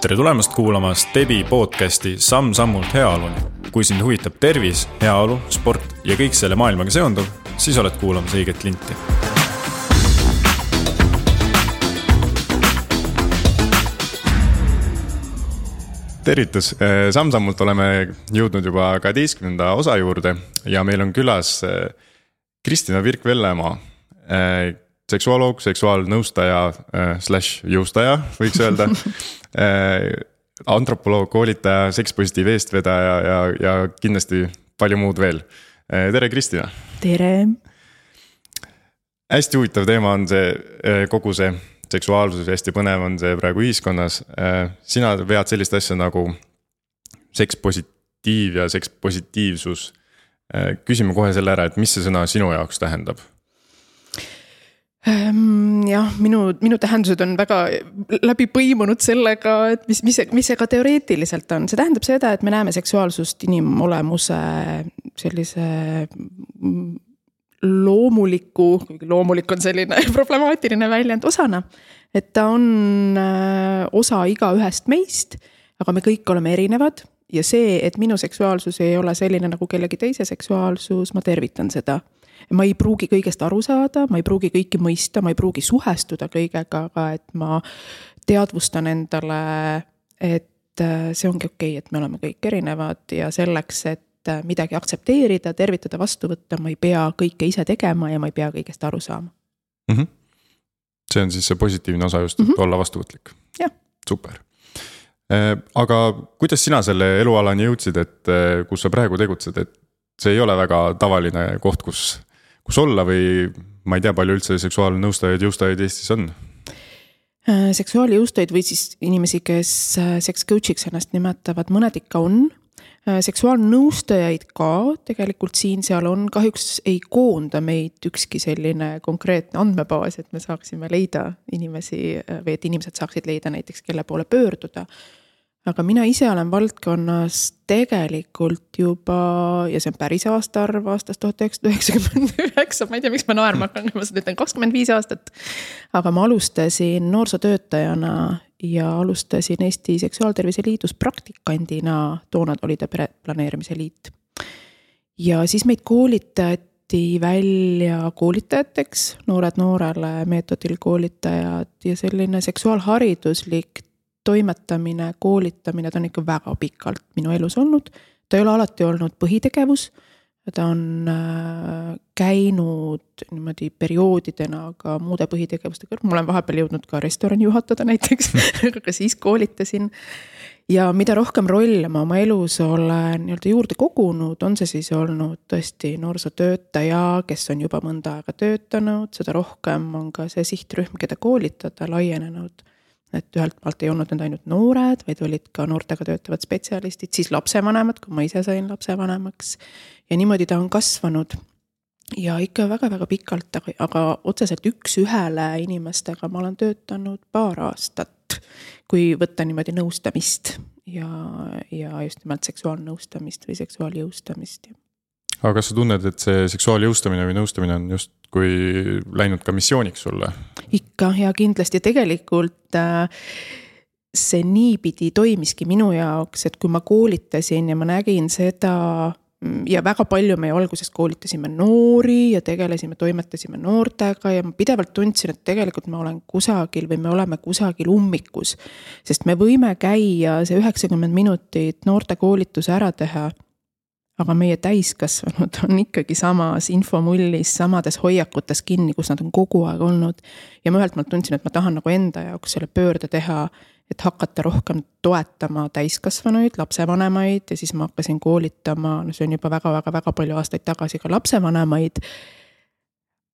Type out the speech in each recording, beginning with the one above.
Tere tulemast kuulama Stebi podcasti Samm-sammult heaoluni. Kui sind huvitab tervis, heaolu, sport ja kõik selle maailmaga seonduv, siis oled kuulamas õiget linti. Tervitus! Samm-sammult oleme jõudnud juba 12. osa juurde ja meil on külas Kristina Virk-Vellemaa, seksuoloog, seksuaalnõustaja / jõustaja, võiks öelda, antropoloog, koolitaja, sekspositiiv eestvedaja ja kindlasti palju muud veel. Tere, Kristina! Tere! Hästi huvitav teema on see kogu see seksuaalsus, hästi põnev on see praegu ühiskonnas. Sina vead sellist asja nagu sekspositiiv ja sekspositiivsus. Küsime kohe selle ära, et mis see sõna sinu jaoks tähendab? Jah, minu tähendused on väga läbi põimunud sellega, et mis see ka teoreetiliselt on. See tähendab seda, et me näeme seksuaalsust inimolemuse sellise loomulik on selline problemaatiline väljend osana, et ta on osa iga ühest meist, aga me kõik oleme erinevad ja see, et minu seksuaalsus ei ole selline nagu kellegi teise seksuaalsus, ma tervitan seda. Ma ei pruugi kõigest aru saada, ma ei pruugi kõiki mõista, ma ei pruugi suhestuda kõigega, aga et ma teadvustan endale, et see ongi okei, et me oleme kõik erinevad ja selleks, et midagi aktsepteerida, tervitada, vastu võtta, ma ei pea kõike ise tegema ja ma ei pea kõigest aru saama. Mm-hmm. See on siis see positiivne osa just, et olla vastuvõtlik. Ja. Super. Aga kuidas sina selle elualani jõudsid, et kus sa praegu tegutsed, et see ei ole väga tavaline koht, kus olla või ma ei tea, palju üldse seksuaalnõustajaid, jõustajaid Eestis on? Seksuaaljõustajaid või siis inimesi, kes sex coachiks ennast nimetavad, mõned ikka on. Seksuaalnõustajaid ka tegelikult siin-seal on, kahjuks ei koonda meid ükski selline konkreetne andmebaas, et me saaksime leida inimesi või et inimesed saaksid leida näiteks, kelle poole pöörduda. Aga mina ise olen valdkonnas tegelikult juba, ja see on päris aastaarv aastast 1999, ma ei tea, miks ma naerma hakkan, ma ütlen 25 aastat, aga ma alustasin noorsootöötajana ja alustasin Eesti Seksuaaltervise Liidus praktikandina, toona oli ta pereplaneerimise liit. Ja siis meid koolitati välja koolitajateks, noored noorele meetodil koolitajad ja selline seksuaalhariduslik toimetamine, koolitamine, ta on ikka väga pikalt minu elus olnud. Ta ei ole alati olnud põhitegevus, ta on käinud niimoodi perioodidena ka muude põhitegevuste kõrval. Ma olen vahepeal jõudnud ka restorani juhatada näiteks, aga siis koolitasin. Ja mida rohkem rolle ma oma elus olen juurde kogunud, on see siis olnud tõesti noorsootöötaja, kes on juba mõnda aega töötanud, seda rohkem on ka see sihtrühm, keda koolitada, laienenud. Et ühelt maalt ei olnud need ainult noored, vaid olid ka noortega töötavad spetsialistid, siis lapsevanemad, kui ma ise sain lapsevanemaks. Ja niimoodi ta on kasvanud ja ikka väga-väga pikalt, aga otseselt üks ühele inimestega ma olen töötanud paar aastat, kui võtta niimoodi nõustamist ja just nimelt seksuaalnõustamist või seksuaaljõustamist. Aga kas sa tunned, et see seksuaaljõustamine või nõustamine on just kui läinud ka missiooniks sulle? Ikka ja kindlasti tegelikult see niipidi toimiski minu jaoks, et kui ma koolitasin ja ma nägin seda ja väga palju me alguses koolitasime noori ja toimetasime noortega ja ma pidevalt tundsin, et tegelikult ma olen kusagil või me oleme kusagil ummikus, sest me võime käia see 90 minutit noorte koolituse ära teha, aga meie täiskasvanud on ikkagi samas infomullis, samades hoiakutes kinni, kus nad on kogu aeg olnud. Ja ma ühelt maalt tundsin, et ma tahan nagu enda jaoks selle pöörde teha, et hakata rohkem toetama täiskasvanuid, lapsevanemaid ja siis ma hakkasin koolitama, see on juba väga palju aastaid tagasi ka lapsevanemaid.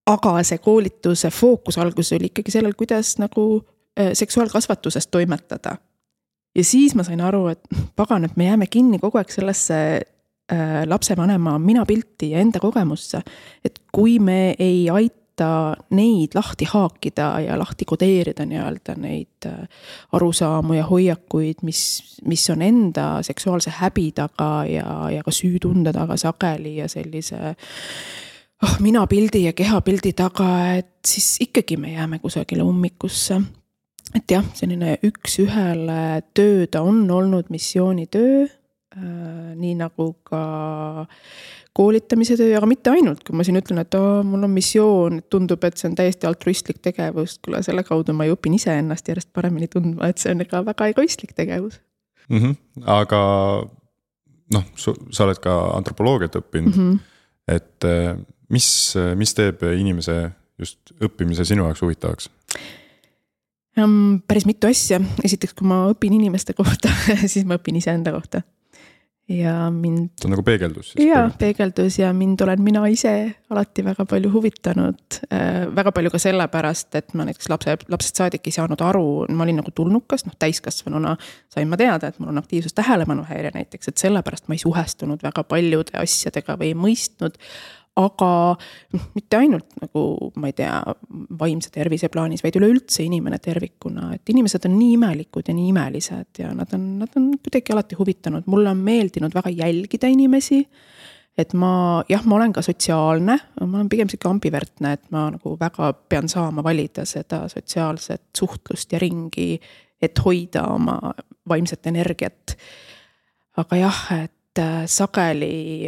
Aga see koolituse fookus alguses oli ikkagi sellel, kuidas nagu seksuaalkasvatusest toimetada. Ja siis ma sain aru, et pagan, et me jääme kinni kogu aeg sellesse lapsevanema minapilti ja enda kogemusse, et kui me ei aita neid lahti haakida ja lahti kodeerida neid arusaamu ja hoiakuid, mis on enda seksuaalse häbi taga ja ka süütunde taga sageli ja sellise minapildi ja kehapildi taga, et siis ikkagi me jääme kusagile ummikusse. et jah, selline üks-ühele töö ta on olnud missioonitöö, nii nagu ka koolitamise töö, aga mitte ainult, kui ma siin ütlen, et mul on missioon, tundub, et see on täiesti altruistlik tegevus, kuule selle kaudu ma ju õpin ise ennast järjest paremini tundma, et see on ka väga egoistlik tegevus. Aga noh, sa oled ka antropoloogiat õppinud, et mis teeb inimese just õppimise sinu jaoks huvitavaks? Päris mitu asja. Esiteks, kui ma õpin inimeste kohta, siis ma õpin ise enda kohta. Ja mind... See on nagu peegeldus siis? Jaa, peegeldus ja mind olen mina ise alati väga palju huvitanud. Väga palju ka sellepärast, et ma näiteks lapsed saadik ei saanud aru, ma olin nagu tulnukas, täiskasvanuna sain ma teada, et mul on aktiivsus tähelepanuhäire näiteks, et sellepärast ma ei suhestunud väga paljude asjadega või ei mõistnud, aga mitte ainult nagu, ma ei tea, vaimse tervise plaanis, vaid üleüldse inimene tervikuna, et inimesed on nii imelikud ja nii imelised ja nad on kuidagi alati huvitanud. Mulle on meeldinud väga jälgida inimesi, et ma olen ka sotsiaalne, ma olen pigem siuke ambivertne, et ma nagu väga pean saama valida seda sotsiaalset suhtlust ja ringi, et hoida oma vaimset energiat. Aga jah, et sageli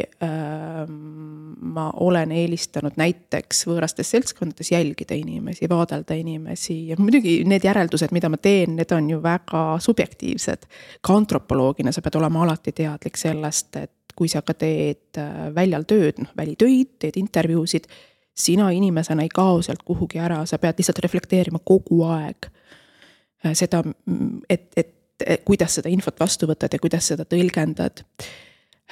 ma olen eelistanud näiteks võõrastes seltskondades jälgida inimesi, vaadelda inimesi ja muidugi need järeldused, mida ma teen, need on ju väga subjektiivsed. Ka antropoloogina sa pead olema alati teadlik sellest, et kui sa ka teed väljal tööd, välitöid, teed intervjuusid, sina inimesena ei kao sealt kuhugi ära, sa pead lihtsalt reflekteerima kogu aeg seda, et kuidas seda infot vastu võtad ja kuidas seda tõlgendad.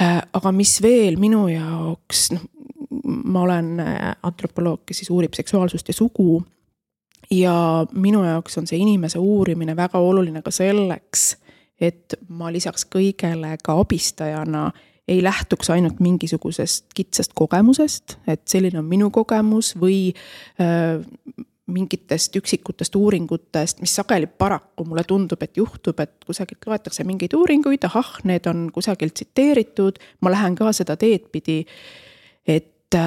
Aga mis veel minu jaoks, ma olen antropoloog, kes siis uurib seksuaalsust ja sugu ja minu jaoks on see inimese uurimine väga oluline ka selleks, et ma lisaks kõigele ka abistajana ei lähtuks ainult mingisugusest kitsast kogemusest, et selline on minu kogemus või mingitest üksikutest uuringutest, mis sageli paraku mulle tundub, et juhtub, et kusagilt loetakse mingeid uuringuid, need on kusagilt tsiteeritud, ma lähen ka seda teed pidi, et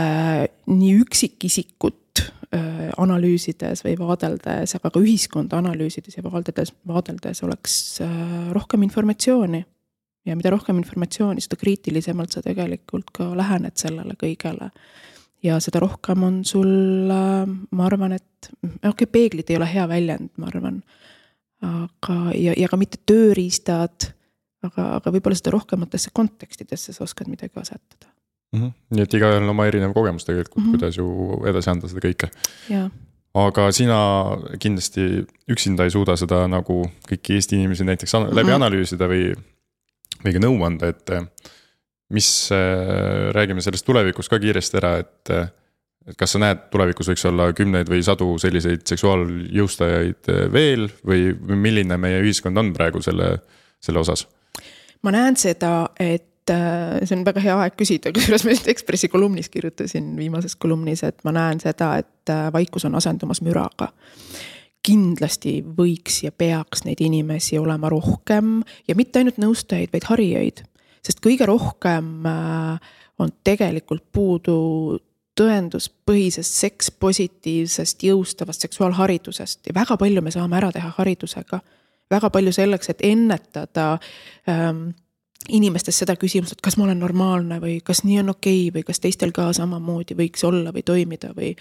nii üksikisikut analüüsides või vaadeldes, aga ka ühiskonda analüüsides ja vaadeldes oleks rohkem informatsiooni. Ja mida rohkem informatsiooni, seda kriitilisemalt sa tegelikult ka lähened sellele kõigele. Ja seda rohkem on sul, ma arvan, et peeglid ei ole hea väljend, ma arvan, aga, ja ka mitte tööriistad, aga võib-olla seda rohkematesse kontekstidesse sa oskad midagi asetada. Nii et igaühel on oma erinev kogemus tegelikult, kuidas ju edasi anda seda kõike. Ja. Aga sina kindlasti üksinda ei suuda seda nagu kõiki Eesti inimesi näiteks läbi analüüsida või ka nõu anda, et mis räägime sellest tulevikus ka kiiresti ära, et kas sa näed tulevikus võiks olla 10 või 100 selliseid seksuaaljõustajaid veel või milline meie ühiskond on praegu selle osas? Ma näen seda, et see on väga hea aeg küsida, kusjuures ma Ekspressi kolumnis kirjutasin viimases kolumnis, et ma näen seda, et vaikus on asendumas müraga. Kindlasti võiks ja peaks neid inimesi olema rohkem ja mitte ainult nõustajaid, vaid harijaid. Sest kõige rohkem on tegelikult puudu tõenduspõhisest sekspositiivsest jõustavast seksuaalharidusest ja väga palju me saame ära teha haridusega. Väga palju selleks, et ennetada inimestes seda küsimust, et kas ma olen normaalne või kas nii on okei või kas teistel ka samamoodi võiks olla või toimida või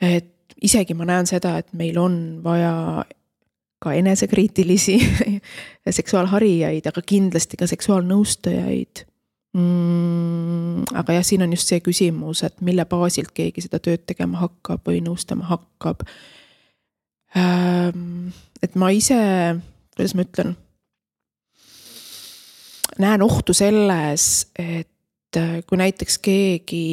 et isegi ma näen seda, et meil on vaja ka enesekriitilisi seksuaalharijaid, aga kindlasti ka seksuaalnõustajaid. Aga jah, siin on just see küsimus, et mille baasilt keegi seda tööd tegema hakkab või nõustama hakkab. Et ma ise, kuidas ma ütlen, näen ohtu selles, et kui näiteks keegi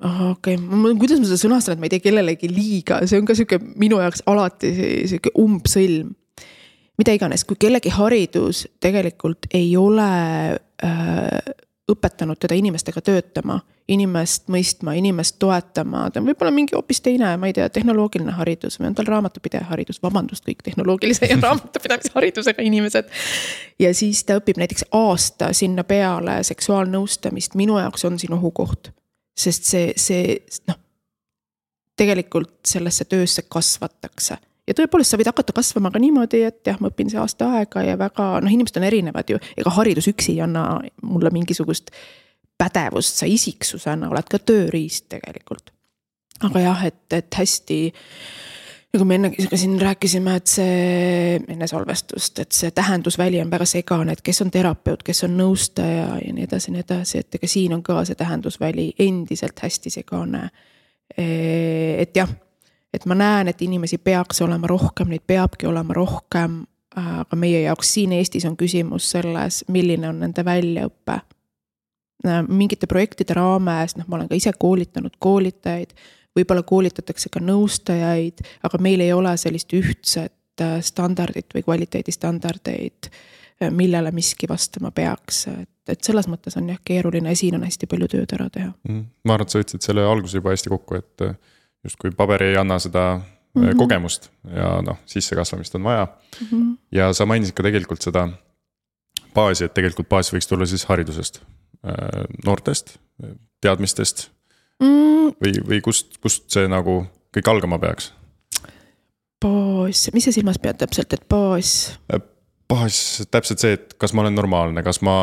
kuidas ma seda sõnastan, et ma ei tee kellelegi liiga, see on ka siuke minu jaoks alati siuke umbsõlm. Mida iganes, kui kellegi haridus tegelikult ei ole õpetanud teda inimestega töötama, inimest mõistma, inimest toetama, ta on võib-olla mingi hoopis teine, ma ei tea, tehnoloogiline haridus või on tal raamatupidaja haridus, vabandust kõik tehnoloogilise ja raamatupidamise haridusega inimesed. Ja siis ta õpib näiteks aasta sinna peale seksuaalnõustamist, minu jaoks on siin ohukoht. Sest see tegelikult sellesse töösse kasvatakse ja tõepoolest sa võid hakata kasvama ka niimoodi, et jah, ma õpin see aasta aega ja väga, inimesed on erinevad ju, ega haridus üksi ei anna mulle mingisugust pädevust, sa isiksusena oled ka tööriist tegelikult. Aga jah, et hästi, nagu me enne siin rääkisime, et see enne salvestust, et see tähendusväli on väga segane, et kes on terapeut, kes on nõustaja ja nii edasi, et ega siin on ka see tähendusväli endiselt hästi segane. Et jah, et ma näen, et inimesi peaks olema rohkem, neid peabki olema rohkem, aga meie jaoks siin Eestis on küsimus selles, milline on nende väljaõppe. Mingite projektide raames, ma olen ka ise koolitanud koolitajaid, võib-olla koolitatakse ka nõustajaid, aga meil ei ole sellist ühtset standardit või kvaliteedistandardeid, millele miski vastama peaks. Et selles mõttes on jah keeruline ja siin on hästi palju tööd ära teha. Ma arvan, et sa võtsid selle alguse juba hästi kokku, et just kui paber ei anna seda kogemust ja sisse kasvamist on vaja. Ja sa mainisid ka tegelikult seda baasi, et tegelikult baas võiks tulla siis haridusest, noortest, teadmistest või kust see nagu kõik algama peaks? Baas, mis see silmas pead täpselt, et baas? Baas täpselt see, et kas ma olen normaalne, kas ma...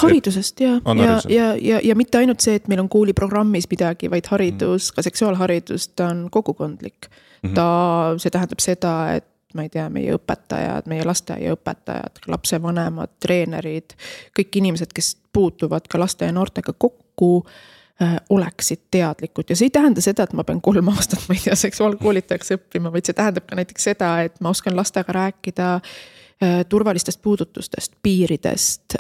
Haridusest, ja mitte ainult see, et meil on kooliprogrammis midagi, vaid haridus, ka seksuaalharidust on kogukondlik. See tähendab seda, et ma ei tea, meie õpetajad, meie lasteaiaõpetajad, lapsevanemad, treenerid, kõik inimesed, kes puutuvad ka laste ja noortega kokku, oleksid teadlikud ja see ei tähenda seda, et ma pean 3 aastat, ma ei tea, seksuaalkoolitajaks õppima, vaid see tähendab ka näiteks seda, et ma oskan lastega rääkida turvalistest puudutustest, piiridest,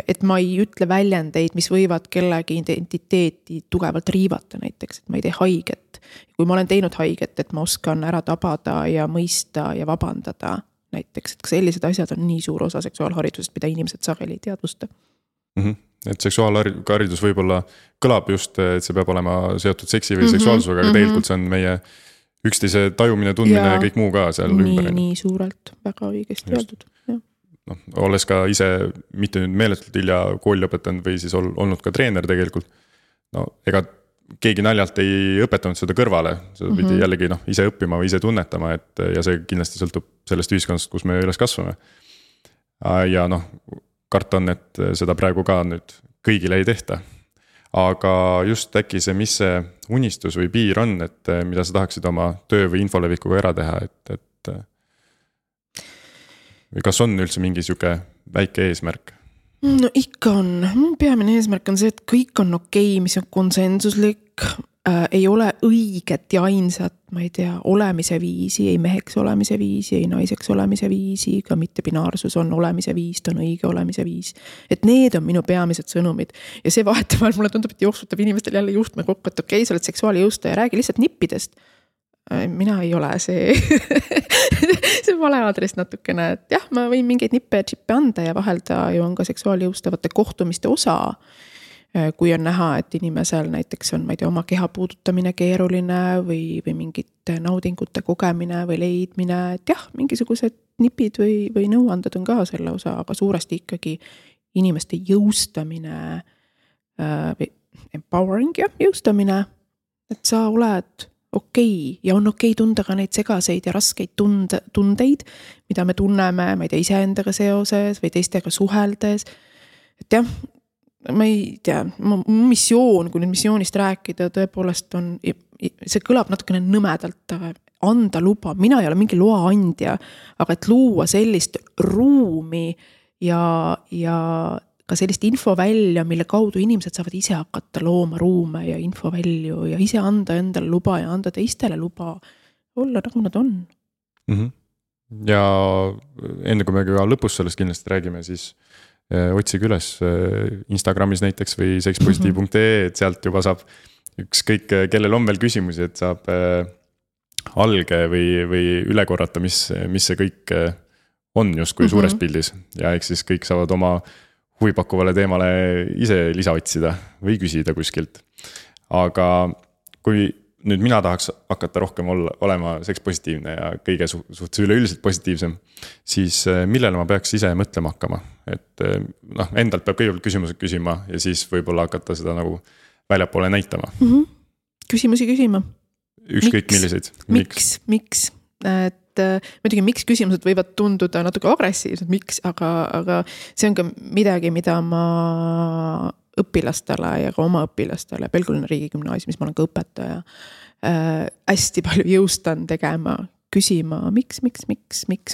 et ma ei ütle väljendeid, mis võivad kellegi identiteeti tugevalt riivata näiteks, et ma ei tee haiget. Kui ma olen teinud haiget, et ma oskan ära tabada ja mõista ja vabandada näiteks, et ka sellised asjad on nii suur osa seksuaalharidusest, mida inimesed sageli ei teadvusta. Et seksuaalharidus võib-olla kõlab just, et see peab olema seotud seksi või seksuaalsusega, aga tegelikult see on meie üksteise tajumine, tundmine ja kõik muu ka seal ümber. Nii suurelt, väga õigesti öeldud. Olles ka ise mitte nüüd meeletult hilja kooli õpetanud või siis olnud ka treener tegelikult, ega keegi naljalt ei õpetanud seda kõrvale, seda pidi jällegi ise õppima või ise tunnetama, ja see kindlasti sõltub sellest ühiskonnast, kus me üles kasvame. Ja karta on, et seda praegu ka nüüd kõigile ei tehta. Aga just äkki see, mis see unistus või piir on, et mida sa tahaksid oma töö või infolevikuga ära teha, et või kas on üldse mingi siuke väike eesmärk? No ikka on. Peamine eesmärk on see, et kõik on okei, mis on konsensuslik, ei ole õiget ja ainsat, ma ei tea, olemise viisi, ei meheks olemise viisi, ei naiseks olemise viisi, ka mitte binaarsus on olemise viis, ta on õige olemise viis. Et need on minu peamised sõnumid. Ja see vahetevahel mulle tundub, et jooksutab inimestel jälle juhtme kokku, et okei, sa oled seksuaalijõustaja, räägi lihtsalt nippidest. Mina ei ole see see vale aadress natukene, et jah, ma võin mingeid nippe ja džippe anda ja vahelda ju on ka seksuaalijõustavate kohtumiste osa. Kui on näha, et inimesel näiteks on, ma ei tea, oma keha puudutamine keeruline või mingite naudingute kogemine või leidmine, et jah, mingisugused nipid või nõuanded on ka selle osa, aga suuresti ikkagi inimeste jõustamine, empowering, jõustamine, et sa oled okei ja on okei tunda ka neid segaseid ja raskeid tundeid, mida me tunneme, ma ei tea, iseendaga seoses või teistega suheldes, et jah, ma ei tea, missioon, kui nüüd missioonist rääkida, tõepoolest on, see kõlab natukene nõmedalt, anda luba, mina ei ole mingi loa andja, aga et luua sellist ruumi ja ka sellist infovälja, mille kaudu inimesed saavad ise hakata looma ruume ja infovälju ja ise anda endale luba ja anda teistele luba olla nagu nad on. Ja enne kui me ka lõpus sellest kindlasti räägime, siis otsige üles Instagramis näiteks või sexpositive.ee, et sealt juba saab ükskõik, kellel on veel küsimusi, et saab alge või üle korrata, mis see kõik on just kui suures pildis. Ja eks siis kõik saavad oma huvipakkuvale teemale ise lisa otsida või küsida kuskilt. Aga kui nüüd mina tahaks hakata rohkem olema sekspositiivne ja kõige suhtes üleüldiselt positiivsem, siis millele ma peaks ise mõtlema hakkama? Et endalt peab kõigepealt küsimused küsima ja siis võib-olla hakata seda nagu väljapoole näitama. Küsimusi küsima. ükskõik milliseid. Miks? Et muidugi miks küsimused võivad tunduda natuke agressiivsed, miks, aga see on ka midagi, mida ma õpilastele ja ka oma õpilastele Pelgulinna riigigümnaasiumis, ma olen ka õpetaja, hästi palju jõustan tegema, küsima, miks,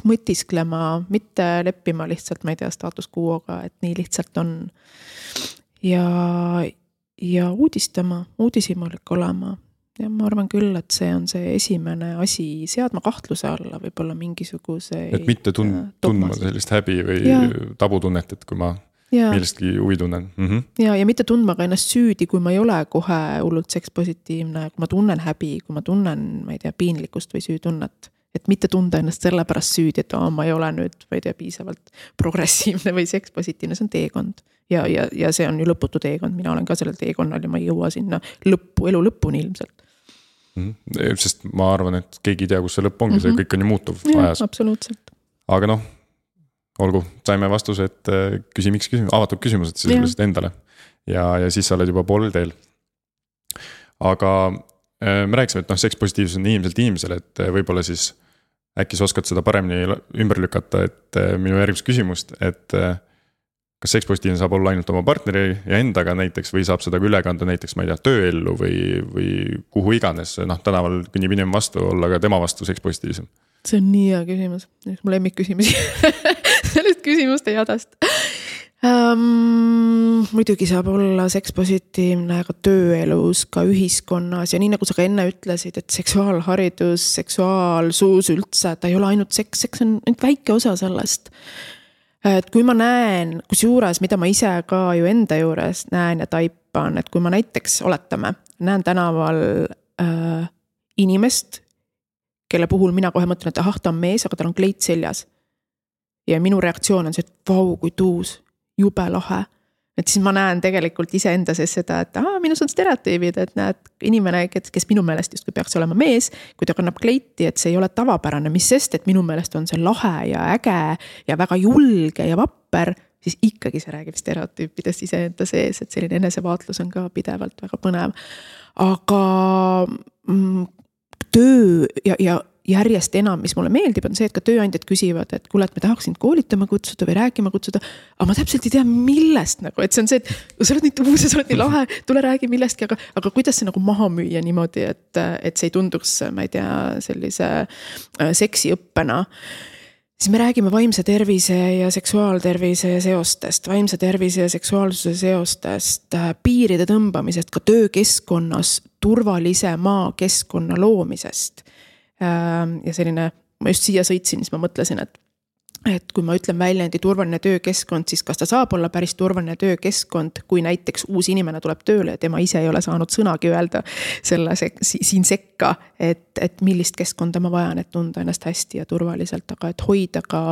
mõtisklema, mitte leppima lihtsalt, ma ei tea, status quo'ga, et nii lihtsalt on. Ja uudishimulik olema. Ja ma arvan küll, et see on see esimene asi, seadma kahtluse alla võib-olla mingisuguse. Et mitte tundma sellist häbi või tabutunnet, et kui ma millestki huvi tunnen. Ja mitte tundma ka ennast süüdi, kui ma ei ole kohe hullult sekspositiivne, kui ma tunnen häbi, kui ma tunnen, ma ei tea, piinlikkust või süütunnet. Et mitte tunda ennast selle pärast süüdi, et ma ei ole nüüd, ma ei tea, piisavalt progressiivne või sekspositiivne, see on teekond. Ja see on ju lõputu teekond, mina olen ka sellel teekonnal ja ma ei jõua sinna elu lõpuni ilmselt. Sest ma arvan, et keegi ei tea, kus see lõpp ongi, see kõik on ju muutuv ajas. Absoluutselt. Aga olgu, saime vastuse, et miks avatud küsimused sisuliselt endale ja siis sa oled juba poolel teel. Aga me rääkisime, et sekspositiivsus on inimeselt inimesele, et võib-olla siis äkki sa oskad seda paremini ümber lükata, et minu järgmist küsimust, et kas sekspositiivne saab olla ainult oma partneri ja endaga näiteks või saab seda üle kanda näiteks, ma ei tea, tööellu või kuhu iganes, tänaval kõnnib inimene vastu, olla ka tema vastu sekspositiivsem? See on nii hea küsimus, mu lemmikküsimusi sellest küsimuste jadast. Muidugi saab olla sekspositiivne ka tööelus, ka ühiskonnas ja nii nagu sa ka enne ütlesid, et seksuaalharidus, seksuaalsuus üldse, ta ei ole ainult seks on väike osa sellest. Et kui ma näen, kus juures, mida ma ise ka ju enda juures näen ja taipan, et kui ma näiteks oletame, näen tänaval inimest, kelle puhul mina kohe mõtlen, et ta on mees, aga tal on kleit seljas. Ja minu reaktsioon on see, et vau, kui tuus, jube lahe. Et siis ma näen tegelikult ise enda sees seda, et minus on stereotüübid, et näed inimene, kes minu meelest justkui peaks olema mees, kui ta kannab kleiti, et see ei ole tavapärane, mis sest, et minu meelest on see lahe ja äge ja väga julge ja vapper, siis ikkagi see räägib stereotüüpidest ise enda sees, et selline enesevaatlus on ka pidevalt väga põnev. Aga töö ja järjest enam, mis mulle meeldib, on see, et ka tööandjad küsivad, et kuule, et me tahaks sind koolitama kutsuda või rääkima kutsuda, aga ma täpselt ei tea, millest et see on see, et sa oled nii tuus ja sa oled nii lahe, tule räägi millestki, aga kuidas see maha müüa niimoodi, et see ei tunduks, ma ei tea, sellise seksiõppena. Siis me räägime vaimse tervise ja seksuaaltervise seostest, vaimse tervise ja seksuaalsuse seostest, piiride tõmbamisest, ka töökeskkonnas turvalise maakeskkonna loomisest. Ja selline, ma just siia sõitsin, siis ma mõtlesin, et kui ma ütlen väljendi turvaline töökeskkond, siis kas ta saab olla päris turvaline töökeskkond, kui näiteks uus inimene tuleb tööle ja tema ise ei ole saanud sõnagi öelda selle siin sekka, et millist keskkonda ma vajan, et tunda ennast hästi ja turvaliselt, aga et hoida ka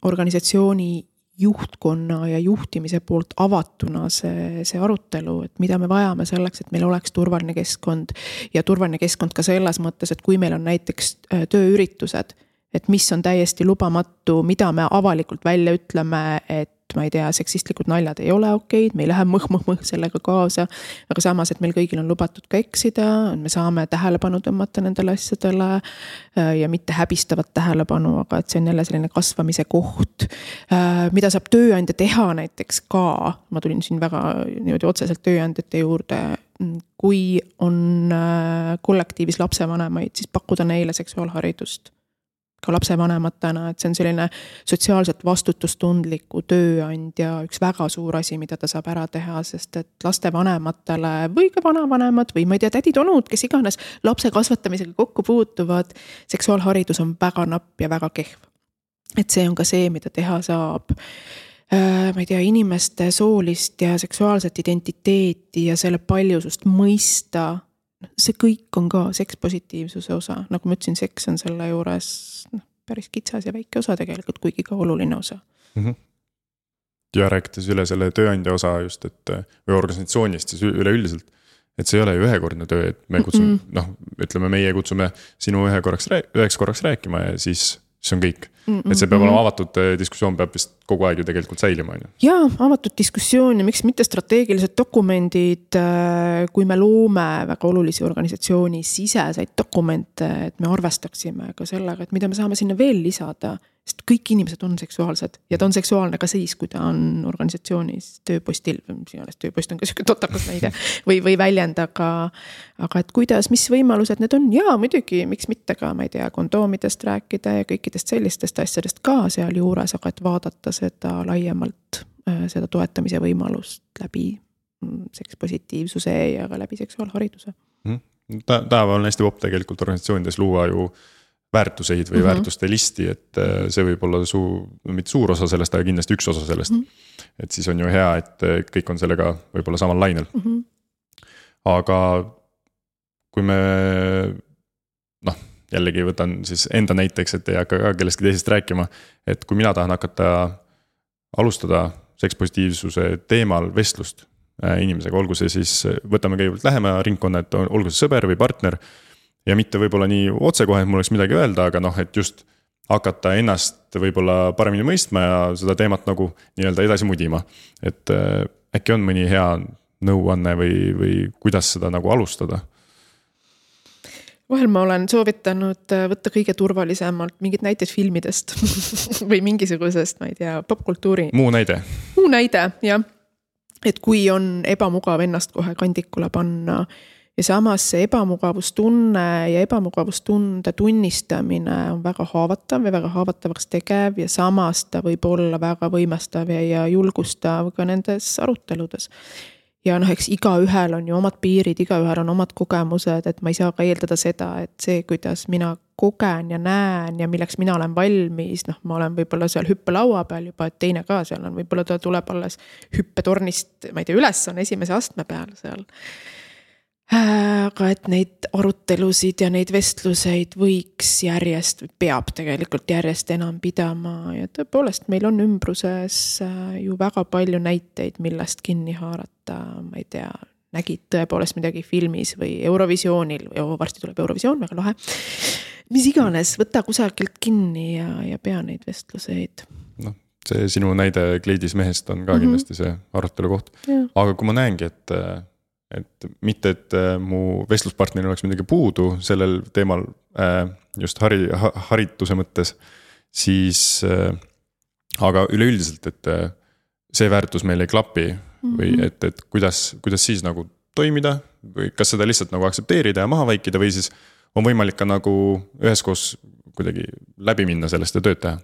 organisatsiooni juhtkonna ja juhtimise poolt avatuna see arutelu, et mida me vajame selleks, et meil oleks turvaline keskkond ja turvaline keskkond ka selles mõttes, et kui meil on näiteks tööüritused, et mis on täiesti lubamatu, mida me avalikult välja ütleme, et ma ei tea, seksistlikud naljad ei ole okeid, me ei lähe mõh sellega kaasa, aga samas, et meil kõigil on lubatud ka eksida, me saame tähelepanu tõmmata nendele asjadele ja mitte häbistavat tähelepanu, aga et see on jälle selline kasvamise koht, mida saab tööandja teha näiteks ka, ma tulin siin väga niimoodi otseselt tööandjate juurde, kui on kollektiivis lapsevanemaid, siis pakkuda neile seksuaalharidust ka lapsevanematena, et see on selline sotsiaalselt vastutustundliku tööandja üks väga suur asi, mida ta saab ära teha, sest et lastevanematele või ka vanavanemad või ma ei tea, tädid-onud, kes iganes lapse kasvatamisega kokku puutuvad, seksuaalharidus on väga napp ja väga kehv. Et see on ka see, mida teha saab. Ma ei tea, inimeste soolist ja seksuaalset identiteeti ja selle paljusust mõista. See kõik on ka sekspositiivsuse osa, nagu ma ütlesin, seks on selle juures päris kitsas ja väike osa tegelikult, kuigi ka oluline osa. Ja rääkides üle selle tööandja osa just, et või organisatsioonist siis üleüldiselt, et see ei ole ju ühekordne töö, et me kutsume, ütleme meie kutsume sinu üheks korraks rääkima ja siis see on kõik. Et see peab olema avatud diskussioon, peab vist kogu aeg ju tegelikult säilima. Jaa, avatud diskussioon ja miks mitte strateegilised dokumendid, kui me loome väga olulisi organisatsiooni siseseid dokumente, et me arvestaksime ka sellega, et mida me saame sinna veel lisada, sest kõik inimesed on seksuaalsed ja ta on seksuaalne ka siis, kui ta on organisatsioonis tööpostil, tööpost on ka selline totakas näide või väljend, aga et kuidas, mis võimalused need on, jaa, muidugi, miks mitte ka, ma ei tea, kondoomidest rääkida ja kõikidest sellistest asjadest ka seal juures, aga et vaadata seda laiemalt, seda toetamise võimalust läbi sekspositiivsuse ja ka läbi seksuaalhariduse. Tänapäeval on hästi popp tegelikult organisatsioonides luua ju väärtuseid või väärtuste listi, et see võib olla mitte suur osa sellest, aga kindlasti üks osa sellest. Et siis on ju hea, et kõik on sellega võib-olla samal lainel. Aga kui me, jällegi võtan siis enda näiteks, et ei hakka ka kellestki teisest rääkima, et kui mina tahan hakata alustada sekspositiivsuse teemal vestlust inimesega, olgu see siis, võtame kõigepealt lähema ringkonna, et olgu see sõber või partner, ja mitte võib-olla nii otsekohe, et mul oleks midagi öelda, aga et just hakata ennast võib-olla paremini mõistma ja seda teemat nagu nii-öelda edasi mudima. Et äkki on mõni hea nõuanne või kuidas seda nagu alustada? Vahel ma olen soovitanud võtta kõige turvalisemalt mingid näited filmidest või mingisugusest, ma ei tea, popkultuuri. Muu näide, jah. Et kui on ebamugav ennast kohe kandikule panna ja samas see ebamugavustunne ja ebamugavustunde tunnistamine on väga haavatav ja väga haavatavaks tegev ja samas ta võib olla väga võimestav ja julgustav ka nendes aruteludes. Ja eks igaühel on ju omad piirid, igaühel on omad kogemused, et ma ei saa ka eeldada seda, et see, kuidas mina kogen ja näen ja milleks mina olen valmis, ma olen võib-olla seal hüppelaua peal juba, et teine ka seal on, võib-olla ta tuleb alles hüppetornist, ma ei tea, üles on esimese astme peal seal. Aga et neid arutelusid ja neid vestluseid võiks peab tegelikult järjest enam pidama ja tõepoolest meil on ümbruses ju väga palju näiteid, millest kinni haarata, ma ei tea, nägid tõepoolest midagi filmis või Eurovisioonil, varsti tuleb Eurovisioon, väga lahe, mis iganes, võta kusagilt kinni ja pea neid vestluseid. See sinu näide kleidis mehest on ka kindlasti see arutelu koht, aga kui ma näengi, et mitte, et mu vestluspartneril oleks midagi puudu sellel teemal just harituse mõttes, siis aga üleüldiselt, et see väärtus meil ei klapi või et kuidas siis nagu toimida või kas seda lihtsalt nagu aksepteerida ja maha vaikida või siis on võimalik ka nagu üheskoos kuidagi läbi minna sellest ja tööd teha?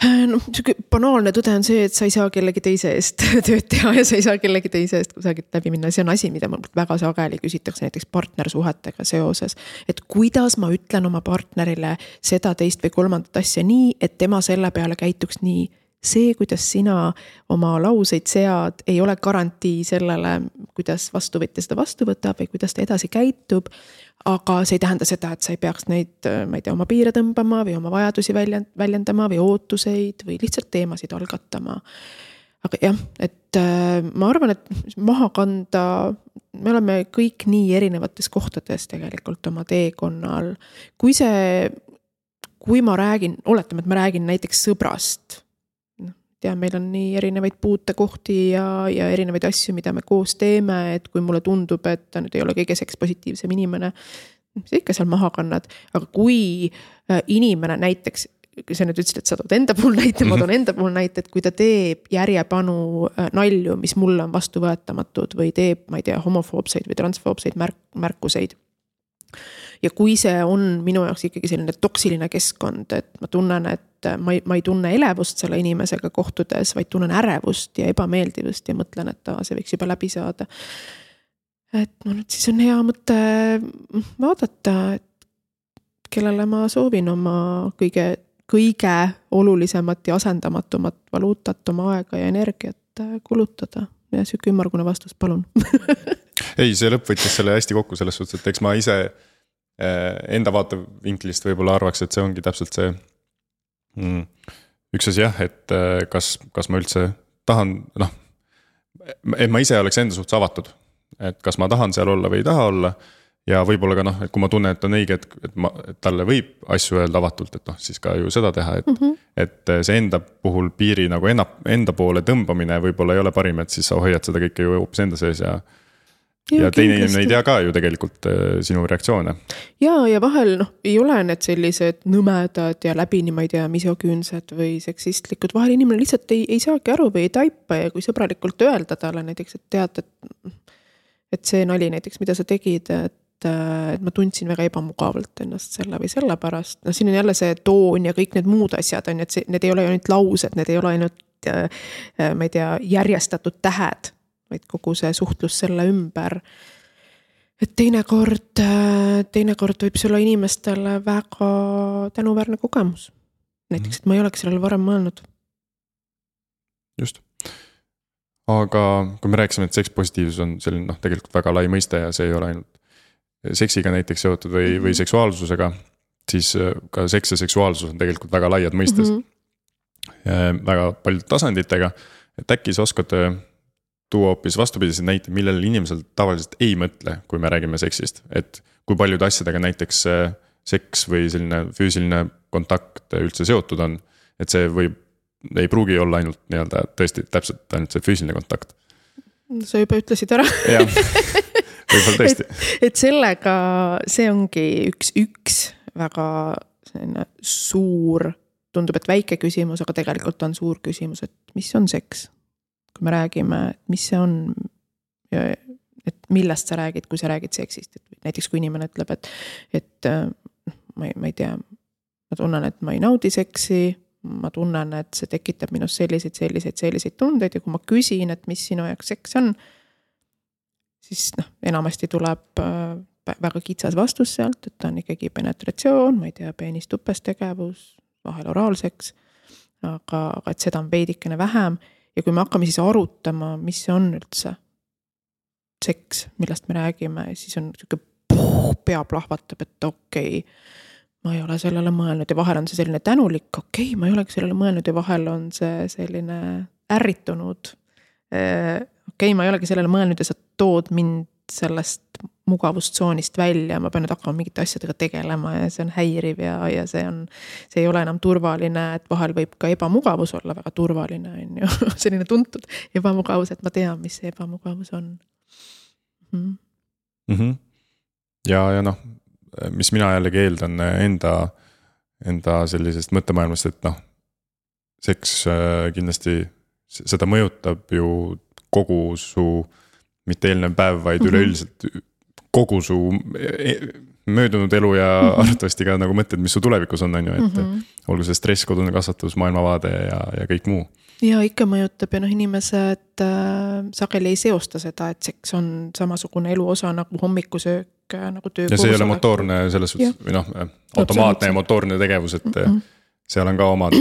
Banaalne tõde on see, et sa ei saa kellegi teise eest tööd teha ja sa ei saa kellegi teise eest kusagilt läbi minna. See on asi, mida väga sageli küsitakse näiteks partnersuhetega seoses. Et kuidas ma ütlen oma partnerile seda teist või kolmandat asja nii, et tema selle peale käituks nii. See, kuidas sina oma lauseid sead, ei ole garantii sellele, kuidas vastuvõtja seda vastu võtab või kuidas ta edasi käitub. Aga see ei tähenda seda, et sa ei peaks neid, ma ei tea, oma piire tõmbama või oma vajadusi väljendama või ootuseid või lihtsalt teemasid algatama. Aga jah, et ma arvan, et maha kanda, me oleme kõik nii erinevates kohtades tegelikult oma teekonnal. Kui ma räägin, oletame, et ma räägin näiteks sõbrast, meil on nii erinevaid puutekohti ja erinevaid asju, mida me koos teeme, et kui mulle tundub, et ta nüüd ei ole kõige sekspositiivsem inimene, see ikka seal maha kannad. Aga kui inimene näiteks, sa nüüd ütlesid, et sa tood enda puhul näite, ma toon enda puhul näite, et kui ta teeb järjepanu nalju, mis mulle on vastuvõetamatud või teeb, ma ei tea, homofoobseid või transfoobseid märkuseid. Ja kui see on minu jaoks ikkagi selline toksiline keskkond, et ma tunnen, et ma ei tunne elevust selle inimesega kohtudes, vaid tunnen ärevust ja ebameeldivust ja mõtlen, et see võiks juba läbi saada. Et siis on hea mõte vaadata, et kellele ma soovin oma kõige olulisemat ja asendamatumat valuutat, oma aega ja energiat kulutada. Ja siuke ümmargune vastus, palun. Ei, see lõpp võttis selle hästi kokku selles suhtes, et eks ma ise enda vaatevinklist võib-olla arvaks, et see ongi täpselt see üks asi jah, et kas ma üldse tahan, et ma ise oleks enda suhtes avatud, et kas ma tahan seal olla või ei taha olla ja võib-olla ka et kui ma tunnen, et on õige, et talle võib asju öelda avatult, et siis ka ju seda teha, et see enda puhul piiri nagu enda poole tõmbamine võib-olla ei ole parim, et siis sa hoiad seda kõike ju hoopis enda sees ja teine inimene ei tea ka ju tegelikult sinu reaktsioone. Ja vahel ei ole need sellised nõmedad ja läbini, ma ei tea, misoküünsed või seksistlikud. Vahel inimene lihtsalt ei saagi aru või ei taipa ja kui sõbralikult öelda talle näiteks, et tead, et see nali näiteks, mida sa tegid, et ma tundsin väga ebamugavalt ennast selle või selle pärast. Siin on jälle see toon ja kõik need muud asjad on, et need ei ole ainult laused, need ei ole ainult, ma ei tea, järjestatud tähed, vaid kogu see suhtlus selle ümber. Et teinekord võib see olla inimestele väga tänuväärne kogemus. Näiteks, et ma ei oleks sellele varem mõelnud. Just. Aga kui me rääkisime, et sekspositiivsus on selline tegelikult väga lai mõiste ja see ei ole ainult seksiga näiteks seotud või seksuaalsusega, siis ka seks ja seksuaalsus on tegelikult väga laiad mõistes. Väga paljud tasanditega, et äkki sa oskad tuua hoopis vastupidised näite, millel inimesel tavaliselt ei mõtle, kui me räägime seksist, et kui paljude asjadega näiteks seks või selline füüsiline kontakt üldse seotud on, et see ei pruugi olla ainult nii-öelda tõesti täpselt ainult see füüsiline kontakt. Sa juba ütlesid ära. Jah, võib-olla tõesti. Et sellega see ongi üks väga suur, tundub, et väike küsimus, aga tegelikult on suur küsimus, et mis on seks? Kui me räägime, et mis see on, et millest sa räägid, kui sa räägid seksist. Et näiteks kui inimene ütleb, et ma ei tea, ma tunnen, et ma ei naudi seksi, ma tunnen, et see tekitab minust selliseid tundeid ja kui ma küsin, et mis sinu jaoks seks on, siis enamasti tuleb väga kitsas vastus sealt, et ta on ikkagi penetratsioon, ma ei tea, peenistupes tegevus, vahel oraalseks, aga et seda on veidikene vähem ja kui me hakkame siis arutama, mis see on üldse seks, millest me räägime, siis on pea plahvatab, et okei, ma ei ole sellele mõelnud ja vahel on see selline tänulik, okei, ma ei olegi sellele mõelnud ja vahel on see selline ärritunud. Okei, ma ei olegi sellele mõelnud ja sa tood mind sellest mugavustsoonist välja, ma pean nüüd hakkama mingite asjadega tegelema ja see on häiriv ja see ei ole enam turvaline, et vahel võib ka ebamugavus olla väga turvaline, on ju, selline tuntud ebamugavus, et ma tean, mis see ebamugavus on. Ja mis mina jällegi eeldan enda sellisest mõttemaailmast, et seks kindlasti seda mõjutab ju kogu su, mitte eelnev päev, vaid üleüldiselt kogu su möödunud elu ja arvatavasti ka nagu mõtted, mis su tulevikus on ju, et olgu see stress, kodune kasvatus, maailmavaade ja kõik muu. Ja ikka mõjutab ja inimesed sageli ei seosta seda, et seks on samasugune elu osa nagu hommikusöök, nagu töö. Ja see ei ole motoorne selles suhtes, või automaatne ja motoorne tegevus, et seal on ka omad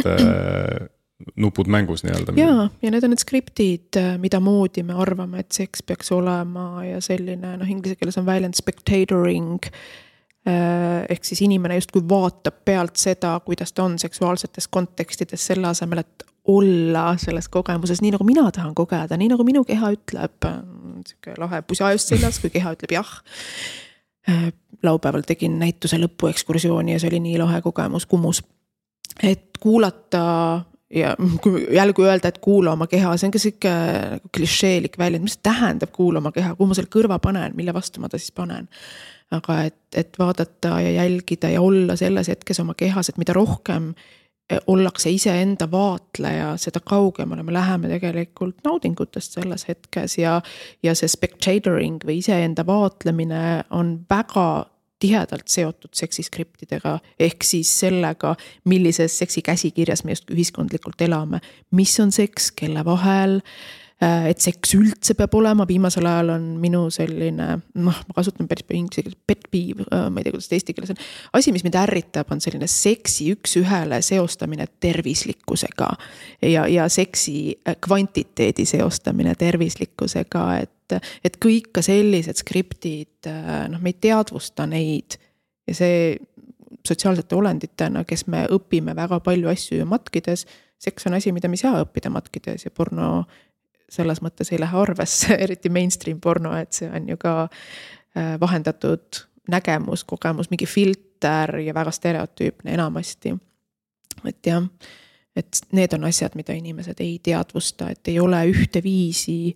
nupud mängus nii-öelda. Ja need on need skriptid, mida moodi me arvame, et seks peaks olema ja selline, inglise keeles on väljend spectatoring, ehk siis inimene justkui vaatab pealt seda, kuidas ta on seksuaalsetes kontekstides selle asemel, et olla selles kogemuses, nii nagu mina tahan kogeda, nii nagu minu keha ütleb, lahe pusa just seljas, kui keha ütleb jah. Laupäeval tegin näituse lõpuekskursiooni ja see oli nii lahe kogemus, kumus. Et kuulata ja kui jälgu öelda, et kuula oma keha, see on ka siuke klišeelik väljend, mis tähendab kuula oma keha, kuhu ma selle kõrva panen, mille vastu ma ta siis panen. Aga et vaadata ja jälgida ja olla selles hetkes oma kehas, et mida rohkem ollakse ise enda vaatleja, seda kaugemale me läheme tegelikult naudingutest selles hetkes ja see spectatoring või ise enda vaatlemine on väga tihedalt seotud seksiskriptidega, ehk siis sellega, millises seksi käsikirjas me just ühiskondlikult elame, mis on seks, kelle vahel, et seks üldse peab olema, viimasel ajal on minu selline, ma kasutan päris palju inglise keeles, pet peeve, ma ei tea, kuidas eesti keeles on. Asi, mis mind ärritab, on selline seksi üks ühele seostamine tervislikkusega ja seksi kvantiteedi seostamine tervislikkusega, et kõik ka sellised skriptid, me ei teadvusta neid ja see sotsiaalsete olenditena, kes me õpime väga palju asju ju matkides, seks on asi, mida me ei saa õppida matkides ja porno selles mõttes ei lähe arvesse, eriti mainstream porno, et see on ju ka vahendatud nägemus, kogemus, mingi filter ja väga stereotüüpne enamasti. Et jah, et need on asjad, mida inimesed ei teadvusta, et ei ole ühte viisi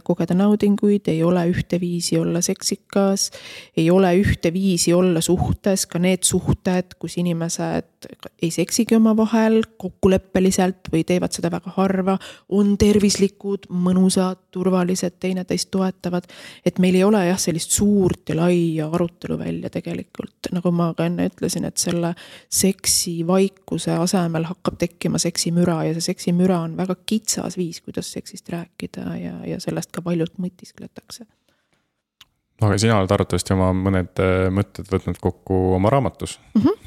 kogeda naudinguid, ei ole ühte viisi olla seksikas, ei ole ühte viisi olla suhtes, ka need suhted, kus inimesed ei seksigi oma vahel kokkuleppeliselt või teevad seda väga harva, on tervislikud, mõnusad, turvalised, teineteist toetavad, et meil ei ole jah sellist suurt ja laia arutelu välja tegelikult, nagu ma ka enne ütlesin, et selle seksi vaikuse asemel hakkab tekkima seksimüra ja see seksimüra on väga kitsas viis, kuidas seksist rääkida ja sellest ka paljult mõtiskletakse. Aga sina oled arvatavasti oma mõned mõtted võtnud kokku oma raamatus,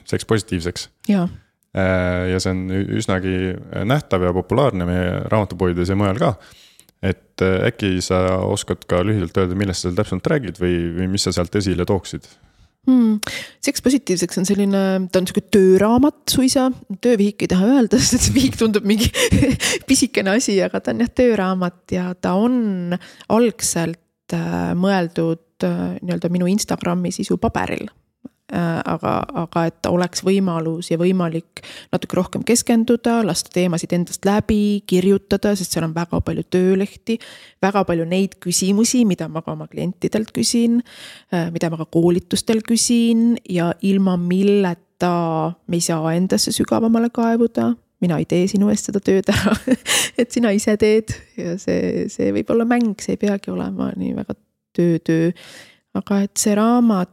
Seks positiivseks. Ja see on üsnagi nähtav ja populaarne meie raamatupoides ja mujal ka. Et äkki sa oskad ka lühidalt öelda, millest sa täpselt räägid või mis sa sealt esile tooksid? Seks positiivseks on selline, ta on selline tööraamat suisa, töövihik ei taha öelda, sest see vihik tundub mingi pisikene asi, aga ta on jah tööraamat ja ta on algselt mõeldud nii-öelda minu Instagrami sisu paberil. Aga et oleks võimalus ja võimalik natuke rohkem keskenduda, lasta teemasid endast läbi, kirjutada, sest seal on väga palju töölehti, väga palju neid küsimusi, mida ma ka oma klientidelt küsin, mida ma ka koolitustel küsin ja ilma milleta me ei saa endasse sügavamale kaevuda. Mina ei tee sinu eest seda tööd ära, et sina ise teed ja see võib olla mäng, see ei peagi olema nii väga töö. Aga et see raamat,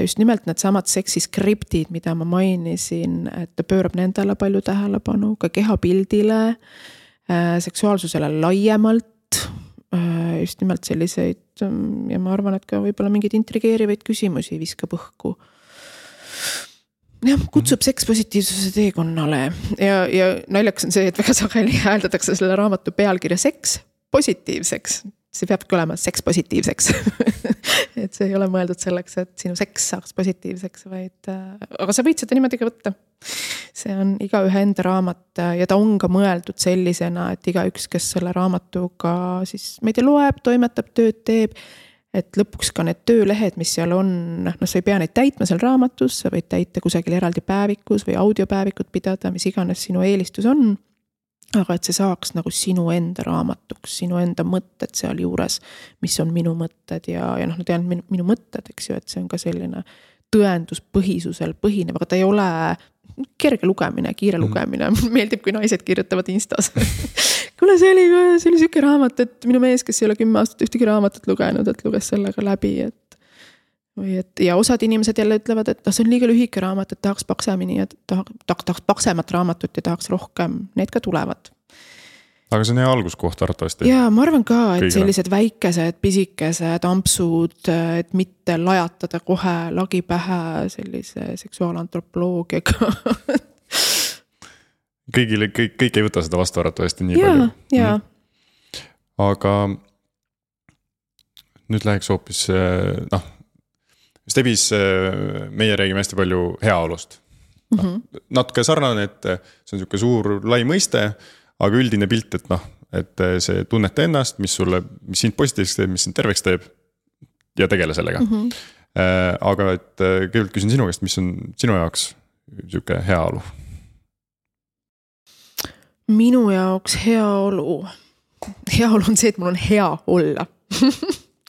just nimelt need samad seksiskriptid, mida ma mainisin, et ta pöörab nendele palju tähelepanu, ka kehapildile, seksuaalsusele laiemalt, just nimelt selliseid ja ma arvan, et ka võib-olla mingeid intrigeerivaid küsimusi viskab õhku. Ja, kutsub seks positiivsuse teekonnale ja naljakas on see, et väga sageli hääldatakse selle raamatu pealkirja seks positiivseks. See peabki olema seks positiivseks. Et see ei ole mõeldud selleks, et sinu seks saaks positiivseks, vaid aga sa võid seda niimoodi ka võtta. See on igaühe enda raamat ja ta on ka mõeldud sellisena, et igaüks, kes selle raamatuga siis ma ei tea, loeb, toimetab, tööd teeb, et lõpuks ka need töölehed, mis seal on, sa ei pea neid täitma seal raamatus, sa võid täita kusagil eraldi päevikus või audiopäevikut pidada, mis iganes sinu eelistus on. Aga et see saaks nagu sinu enda raamatuks, sinu enda mõtted seal juures, mis on minu mõtted ja ma tean minu mõtted, eks ju, et see on ka selline tõenduspõhisusel põhinev, aga ta ei ole kerge lugemine, kiire lugemine. Meeldib, kui naised kirjutavad Instas. Kuule, see oli siuke raamat, et minu mees, kes ei ole 10 aastat ühtegi raamatut lugenud, et luges sellega läbi, ja osad inimesed jälle ütlevad, et see on liiga lühike raamat, et tahaks paksemini ja tahaks paksemat raamatut ja tahaks rohkem, need ka tulevad. Aga see on hea alguskoht arvatavasti. Ja ma arvan ka, et sellised väikesed, pisikesed ampsud, et mitte lajatada kohe lagi pähe sellise seksuaalantropoloogiaga. Kõik ei võta seda vastu arvatavasti nii palju. Ja. Aga nüüd läheks hoopis, Stebis meie räägime hästi palju heaolust. Natuke sarnane, et see on niisugune suur lai mõiste, aga üldine pilt, et see tunnete ennast, mis sind positiivseks teeb, mis sind terveks teeb ja tegele sellega. Aga et kõigepealt küsin sinu käest, mis on sinu jaoks niisugune heaolu? Minu jaoks heaolu on see, et mul on hea olla.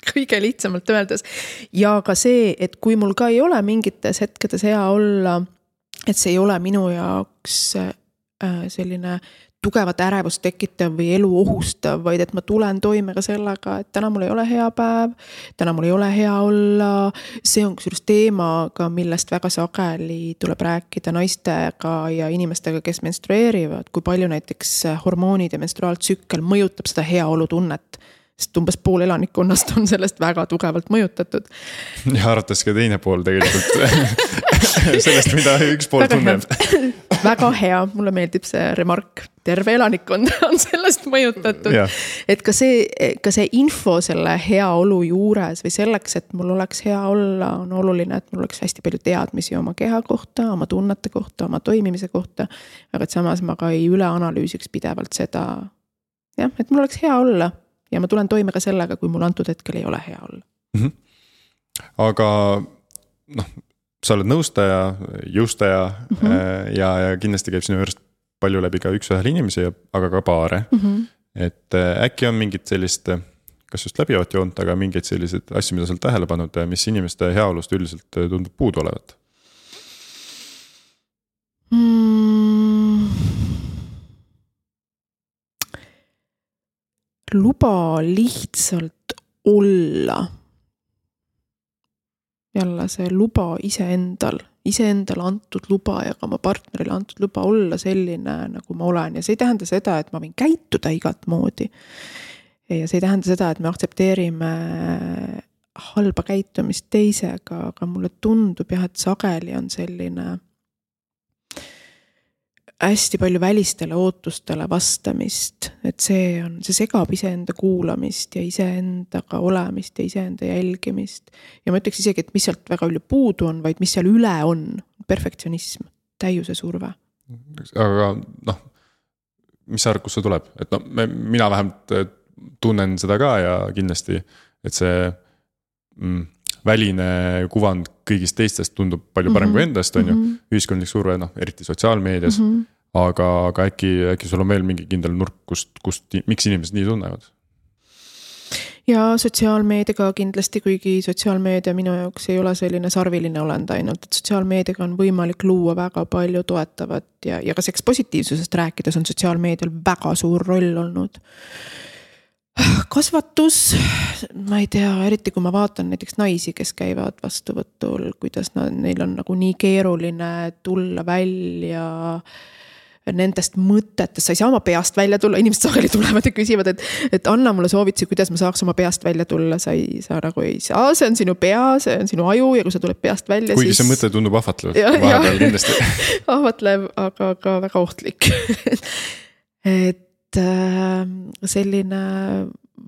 Kõige lihtsamalt öeldes. Ja ka see, et kui mul ka ei ole mingites hetkedes hea olla, et see ei ole minu jaoks selline tugevat ärevust tekitav või elu ohustav, vaid et ma tulen toime ka sellega, et täna mul ei ole hea päev, täna mul ei ole hea olla. See on kusjuures teemaga, millest väga sageli tuleb rääkida naistega ja inimestega, kes menstrueerivad, kui palju näiteks hormoonid ja menstruaaltsükkel mõjutab seda heaolu tunnet. Sest umbes pool elanikkonnast on sellest väga tugevalt mõjutatud. Ja arvates ka teine pool tegelikult sellest, mida üks pool tunneb. Väga hea, mulle meeldib see remark. Terve elanikkond on sellest mõjutatud. Ja. Et ka see info selle hea olu juures või selleks, et mul oleks hea olla, on oluline, et mul oleks hästi palju teadmisi oma keha kohta, oma tunnete kohta, oma toimimise kohta. Aga et samas ma ka ei üle analüüsiks pidevalt seda, et mul oleks hea olla. Ja ma tulen toime ka sellega, kui mul antud hetkel ei ole hea olla. Aga sa oled nõustaja, jõustaja ja kindlasti käib sinu juurest palju läbi ka üks-ühele inimesi, aga ka paare. Et äkki on mingid sellist, kas just läbivat joont, aga mingeid selliseid asju, mida sa oled tähele pannud, mis inimeste heaolust üldiselt tundub puudu olevat? Luba lihtsalt olla. Jälle see luba iseendal antud luba ja ka oma partnerile antud luba olla selline, nagu ma olen. Ja see ei tähenda seda, et ma võin käituda igat moodi. Ja see ei tähenda seda, et me aktsepteerime halba käitumist teisega, aga mulle tundub jah, et sageli on selline hästi palju välistele ootustele vastamist, et see segab iseenda kuulamist ja iseendaga olemist ja iseenda jälgimist. Ja ma ütleks isegi, et mis sealt väga palju puudu on, vaid mis seal üle on, perfektsionism, täiuse surve. Aga mis sa arvad, kus see tuleb? Et mina vähemalt tunnen seda ka ja kindlasti, et see väline kuvand kõigist teistest tundub palju parem kui endast, on ju, ühiskondlik surve, eriti sotsiaalmeedias, aga äkki sul on veel mingi kindel nurk, miks inimesed nii tunnevad? Ja sotsiaalmeediaga kindlasti, kuigi sotsiaalmeedia minu jaoks ei ole selline sarviline olend ainult, et sotsiaalmeediaga on võimalik luua väga palju toetavat ja ka seks positiivsusest rääkides on sotsiaalmeedial väga suur roll olnud. Kasvatus, ma ei tea, eriti kui ma vaatan näiteks naisi, kes käivad vastuvõtul, kuidas neil on nagu nii keeruline tulla välja nendest mõtetest, sa ei saa oma peast välja tulla, inimesed sageli tulevad ja küsivad, et anna mulle soovitusi, kuidas ma saaks oma peast välja tulla, sa nagu ei saa, see on sinu pea, see on sinu aju ja kui sa tuled peast välja, kuigi siis... see mõte tundub ahvatlev, vahepeal kindlasti. Ahvatlev, aga ka väga ohtlik. Et selline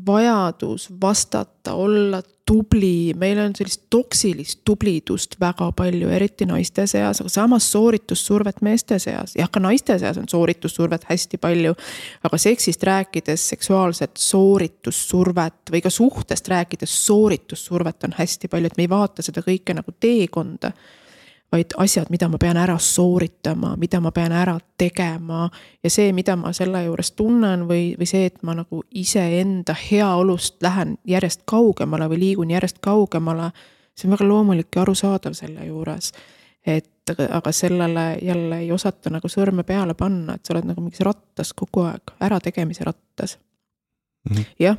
vajadus vastata, olla tubli, meil on sellist toksilist tublidust väga palju, eriti naiste seas, aga samas sooritussurvet meeste seas. Ja ka naiste seas on sooritussurvet hästi palju, aga seksist rääkides seksuaalset sooritussurvet või ka suhtest rääkides sooritussurvet on hästi palju, et me ei vaata seda kõike nagu teekonda, vaid asjad, mida ma pean ära sooritama, mida ma pean ära tegema ja see, mida ma selle juures tunnen või see, et ma nagu iseenda heaolust lähen järjest kaugemale või liigun järjest kaugemale, see on väga loomulik ja arusaadav selle juures. Aga sellele jälle ei osata nagu sõrme peale panna, et sa oled nagu mingis rattas kogu aeg, ära tegemise rattas. Jah.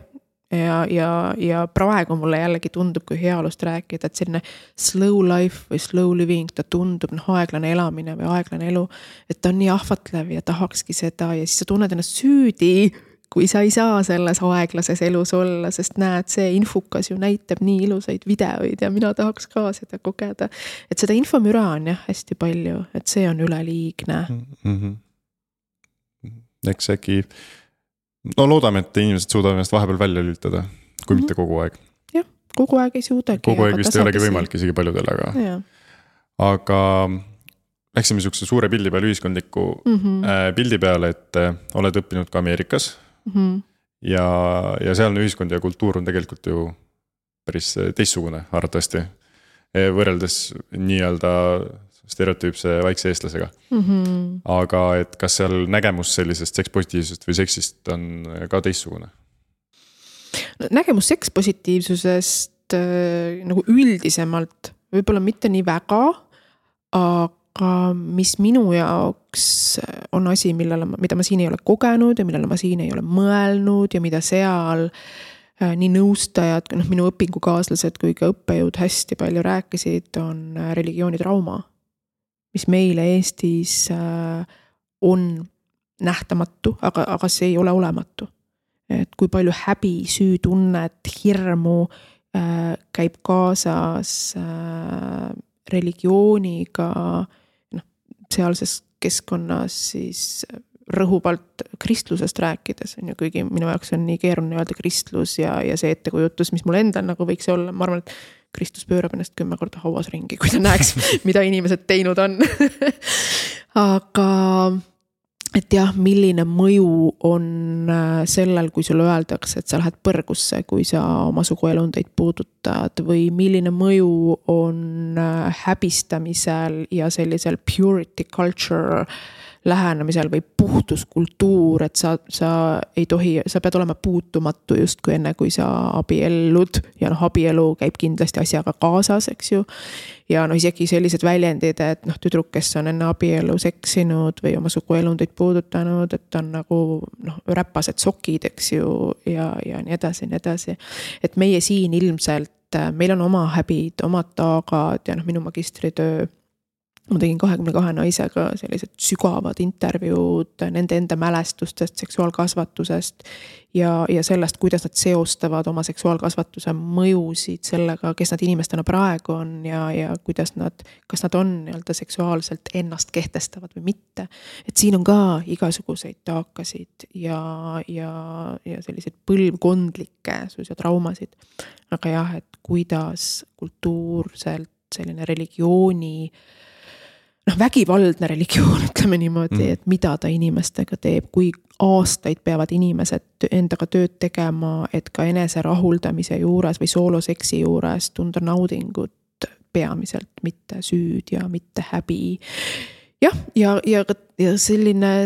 Ja praegu mulle jällegi tundub, kui heaolust rääkida, et selline slow life või slow living, ta tundub aeglane elamine või aeglane elu, et ta on nii ahvatlev ja tahakski seda ja siis sa tunned ennast süüdi, kui sa ei saa selles aeglases elus olla, sest näed, see infukas ju näitab nii ilusaid videoid ja mina tahaks ka seda kogeda. Et seda infomüra on jah hästi palju, et see on üleliigne. Eks äkki... loodame, et inimesed suudavad ennast vahepeal välja lülitada, kui mitte kogu aeg. Jah, kogu aeg ei suudagi. Kogu aeg vist ei olegi võimalik isegi paljudel, aga läksime niisuguse suure pildi peale, ühiskondliku pildi peale, et oled õppinud ka Ameerikas ja sealne ühiskond ja kultuur on tegelikult ju päris teistsugune arvatavasti, võrreldes nii-öelda stereotüüpse vaikse eestlasega. Aga et kas seal nägemus sellisest sekspositiivsusest või seksist on ka teistsugune? Nägemus sekspositiivsusest nagu üldisemalt võib-olla mitte nii väga, aga mis minu jaoks on asi, mida ma siin ei ole kogenud ja millele ma siin ei ole mõelnud ja mida seal nii nõustajad, minu õpingukaaslased kui ka õppejõud hästi palju rääkisid, on religioonitrauma, mis meile Eestis on nähtamatu, aga see ei ole olematu. Et kui palju häbi, süütunnet, hirmu käib kaasas religiooniga sealses keskkonnas siis rõhuvalt kristlusest rääkides, on ju, kuigi minu jaoks on nii keeruline öelda kristlus ja see ettekujutus, mis mul endal nagu võiks olla, ma arvan, et Kristus pöörab ennast 10 korda hauas ringi, kui ta näeks, mida inimesed teinud on. Aga et jah, milline mõju on sellel, kui sulle öeldakse, et sa lähed põrgusse, kui sa oma suguelundeid puudutad või milline mõju on häbistamisel ja sellisel purity culture lähenemisel või puhtuskultuur, et sa ei tohi, sa pead olema puutumatu justkui enne, kui sa abiellud ja abielu käib kindlasti asjaga kaasas, eks ju. Ja isegi sellised väljendid, et tüdruk, kes on enne abielu seksinud või oma suguelundeid puudutanud, et on nagu räpased sokid, eks ju, ja nii edasi, nii edasi. Et meie siin ilmselt, meil on oma häbid, omad taagad ja minu magistritöö, ma tegin 22 naisega sellised sügavad intervjuud nende enda mälestustest, seksuaalkasvatusest ja sellest, kuidas nad seostavad oma seksuaalkasvatuse mõjusid sellega, kes nad inimestena praegu on ja kuidas kas nad on nii-öelda seksuaalselt ennast kehtestavad või mitte. Et siin on ka igasuguseid taakasid ja selliseid põlvkondlikke suisa traumasid. Aga jah, et kuidas kultuurselt selline religiooni vägivaldne religioon, ütleme niimoodi, et mida ta inimestega teeb, kui aastaid peavad inimesed endaga tööd tegema, et ka enese rahuldamise juures või sooloseksi juures tunda naudingut peamiselt, mitte süüd ja mitte häbi. Jah, ja selline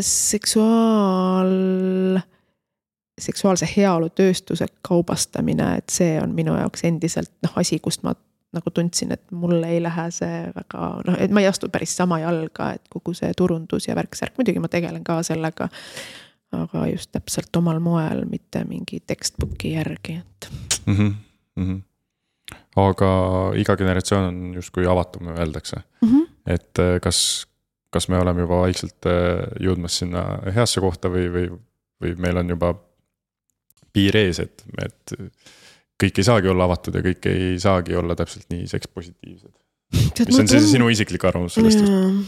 seksuaalse heaolu tööstuse kaubastamine, et see on minu jaoks endiselt asi, kust ma nagu tundsin, et mulle ei lähe see väga, et ma ei astu päris sama jalga, et kogu see turundus ja värksärk, muidugi ma tegelen ka sellega, aga just täpselt omal moel, mitte mingi textbooki järgi. Aga iga generatsioon on justkui avatum, öeldakse. Et kas me oleme juba vaikselt jõudmas sinna heasse kohta või meil on juba piir ees, et kõik ei saagi olla avatud ja kõik ei saagi olla täpselt nii sekspositiivsed. Mis on see sinu isiklik arvamus sellest?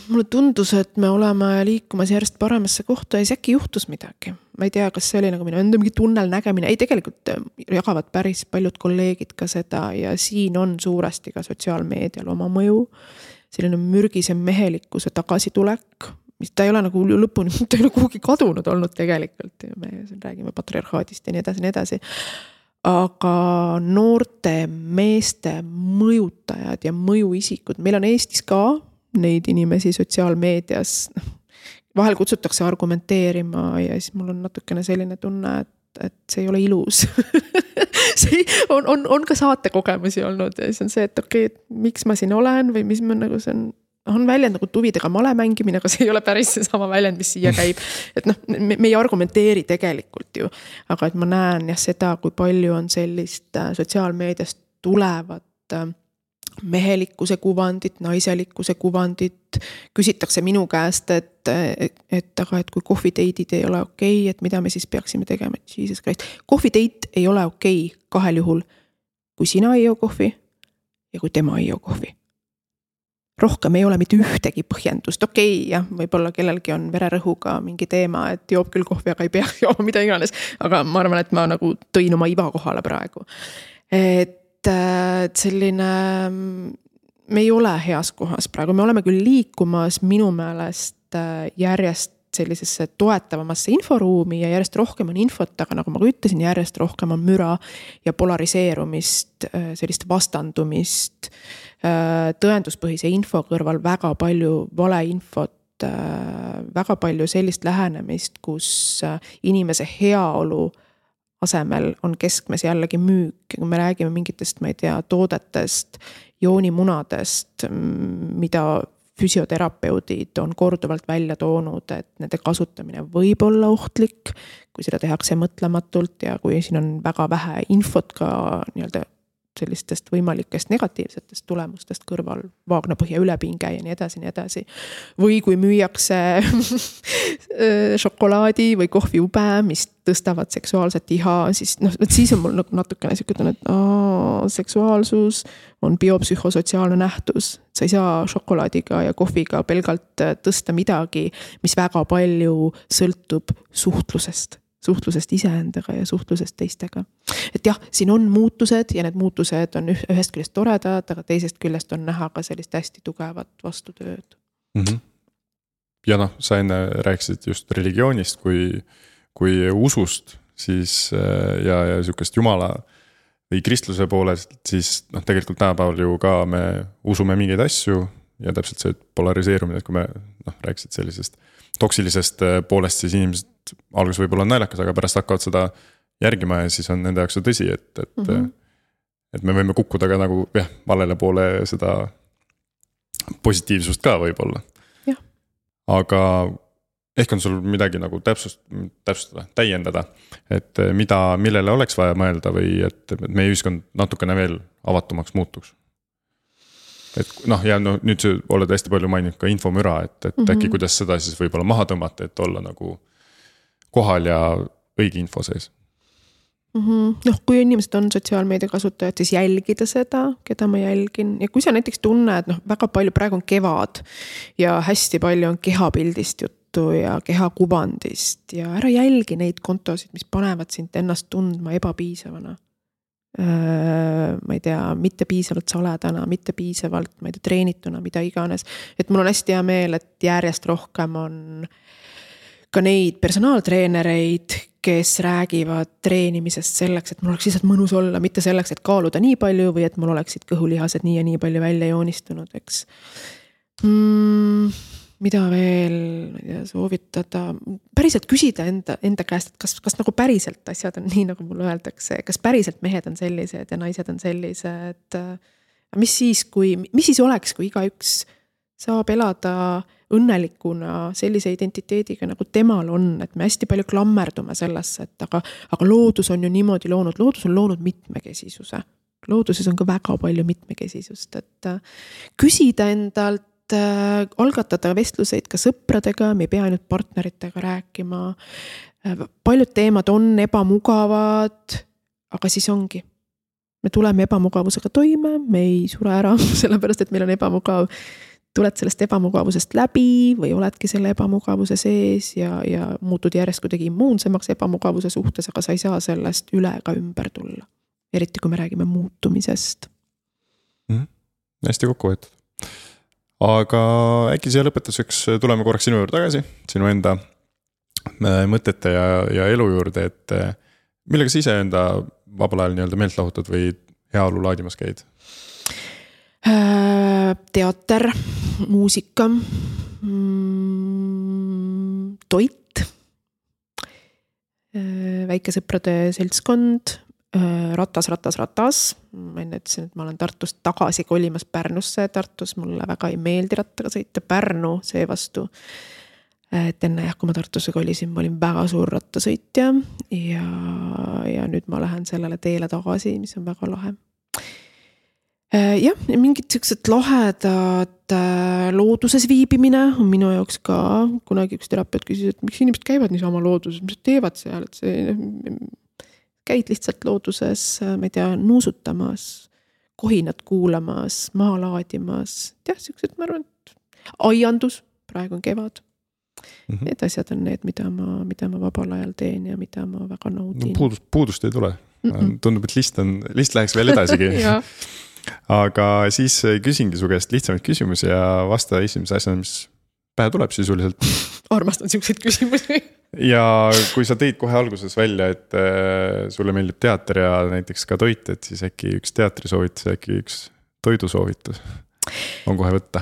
Mulle tundus, et me oleme liikumas järjest paremasse kohta ja äkki juhtus midagi. Ma ei tea, kas see oli nagu minu enda mingi tunnel nägemine. Ei, tegelikult jagavad päris paljud kolleegid ka seda ja siin on suuresti ka sotsiaalmeedial oma mõju. Selline mürgise mehelikkuse tagasitulek, mis ta ei ole nagu lõpuni, ta ei ole kuhugi kadunud olnud tegelikult. Me räägime patriarhaadist ja nii edasi. Aga noorte meeste mõjutajad ja mõjuisikud, meil on Eestis ka neid inimesi sotsiaalmeedias, vahel kutsutakse argumenteerima ja siis mul on natukene selline tunne, et see ei ole ilus. See on ka saatekogemusi olnud ja siis on see, et okei, miks ma siin olen või mis ma nagu see on väljend nagu tuvidega male mängimine, aga see ei ole päris see sama väljend, mis siia käib. Et me ei argumenteeri tegelikult ju, aga et ma näen seda, kui palju on sellist sotsiaalmeediast tulevat mehelikkuse kuvandit, naiselikkuse kuvandit. Küsitakse minu käest, et kui kohviteidid ei ole okei, et mida me siis peaksime tegema, et Jesus Christ. Kohviteit ei ole okei kahel juhul, kui sina ei joo kohvi ja kui tema ei joo kohvi. Rohkem ei ole mitte ühtegi põhjendust. Okei, jah, võib-olla kellelgi on vererõhuga mingi teema, et joob küll kohvi, aga ei pea jooma mida iganes. Aga ma arvan, et ma nagu tõin oma iva kohale praegu. Et selline, me ei ole heas kohas praegu. Me oleme küll liikumas minu meelest järjest sellisesse toetavamasse inforuumi ja järjest rohkem on infot, aga nagu ma ütlesin, järjest rohkem on müra ja polariseerumist, sellist vastandumist, tõenduspõhise info kõrval väga palju valeinfot, väga palju sellist lähenemist, kus inimese heaolu asemel on keskmes jällegi müük. Kui me räägime mingitest, ma ei tea, toodetest, joonimunadest, mida füsioterapeudid on korduvalt välja toonud, et nende kasutamine võib olla ohtlik, kui seda tehakse mõtlematult ja kui siin on väga vähe infot ka nii-öelda sellistest võimalikest negatiivsetest tulemustest kõrval, vaagnapõhja ülepinge ja nii edasi. Või kui müüakse šokolaadi või kohviube, mis tõstavad seksuaalset iha, siis on mul natukene selline, et seksuaalsus on biopsühhosotsiaalne nähtus. Sa ei saa šokolaadiga ja kohviga pelgalt tõsta midagi, mis väga palju sõltub suhtlusest iseendaga ja suhtlusest teistega. Et jah, siin on muutused ja need muutused on ühest küljest toredad, aga teisest küljest on näha ka sellist hästi tugevat vastutööd. ja noh, sa enne rääkisid just religioonist kui usust, siis ja sihukest jumala või kristluse poolest, siis noh, tegelikult tänapäeval ju ka me usume mingeid asju ja täpselt see polariseerumine, et kui me rääkisid sellisest toksilisest poolest, siis inimesed alguses võib-olla on naljakas, aga pärast hakkavad seda järgima ja siis on nende jaoks see tõsi, et me võime kukkuda ka nagu valele poole seda positiivsust ka võib-olla. Aga ehk on sul midagi nagu täpsustada, täiendada, et millele oleks vaja mõelda või et meie ühiskond natukene veel avatumaks muutuks. Et ja nüüd sa oled hästi palju maininud ka infomüra, et äkki kuidas seda siis võib-olla maha tõmmata, et olla nagu kohal ja õige info sees. Kui inimesed on sotsiaalmeedia kasutajad, siis jälgida seda, keda ma jälgin. Ja kui sa näiteks tunned, väga palju praegu on kevad ja hästi palju on kehapildist juttu ja kehakuvandist ja ära jälgi neid kontosid, mis panevad sind ennast tundma ebapiisavana. Ma ei tea, mitte piisavalt saledana, mitte piisavalt, ma ei tea, treenituna, mida iganes. Et mul on hästi hea meel, et järjest rohkem on ka neid personaaltreenereid, kes räägivad treenimisest selleks, et mul oleks lihtsalt mõnus olla, mitte selleks, et kaaluda nii palju või et mul oleksid kõhulihased nii ja nii palju välja joonistunud, eks. Mida veel soovitada? Päriselt küsida enda käest, et kas nagu päriselt asjad on nii, nagu mulle öeldakse, kas päriselt mehed on sellised ja naised on sellised. Mis siis oleks, kui igaüks saab elada õnnelikuna sellise identiteediga, nagu temal on, et me hästi palju klammerdume sellesse, et aga loodus on ju niimoodi loonud, loodus on loonud mitmekesisuse. Looduses on ka väga palju mitmekesisust, et küsida endalt, algatada vestluseid ka sõpradega, me ei pea ainult partneritega rääkima. Paljud teemad on ebamugavad, aga siis ongi. Me tuleme ebamugavusega toime, me ei sure ära, sellepärast, et meil on ebamugav. Tuled sellest ebamugavusest läbi või oledki selle ebamugavuse sees ja muutud järjest kuidagi immuunsemaks ebamugavuse suhtes, aga sa ei saa sellest üle ega ümber tulla. Eriti kui me räägime muutumisest. Hästi kokku võetud. Aga äkki siia lõpetuseks tuleme korraks sinu juurde tagasi, sinu enda mõtete ja elu juurde, et millega sa ise enda vabal ajal nii-öelda meelt lahutad või heaolu laadimas käid? Teater, muusika, toit, väikesõprade seltskond, ratas. Ma enne ütlesin, et ma olen Tartust tagasi kolimas Pärnusse. Tartus mulle väga ei meeldi rattaga sõita. Pärnu seevastu. Et enne kui ma Tartusse kolisin, ma olin väga suur rattasõitja ja nüüd ma lähen sellele teele tagasi, mis on väga lahe. Mingid sellised lahedad looduses viibimine on minu jaoks ka. Kunagi üks terapeut küsis, et miks inimesed käivad niisama looduses, mis teevad seal, et see käid lihtsalt looduses, ma ei tea, nuusutamas, kohinat kuulamas, maa laadimas. Sellised, ma arvan, et aiandus, praegu on kevad. Need asjad on need, mida ma vabal ajal teen ja mida ma väga naudin. Puudust ei tule. Tundub, et list läheks veel edasigi. Aga siis küsingi su käest lihtsamaid küsimusi ja vasta esimese asjana, mis pähe tuleb sisuliselt. Armastan selliseid küsimusi. Ja kui sa tõid kohe alguses välja, et sulle meeldib teater ja näiteks ka toit, et siis äkki üks teatrisoovitus ja äkki üks toidusoovitus on kohe võtta.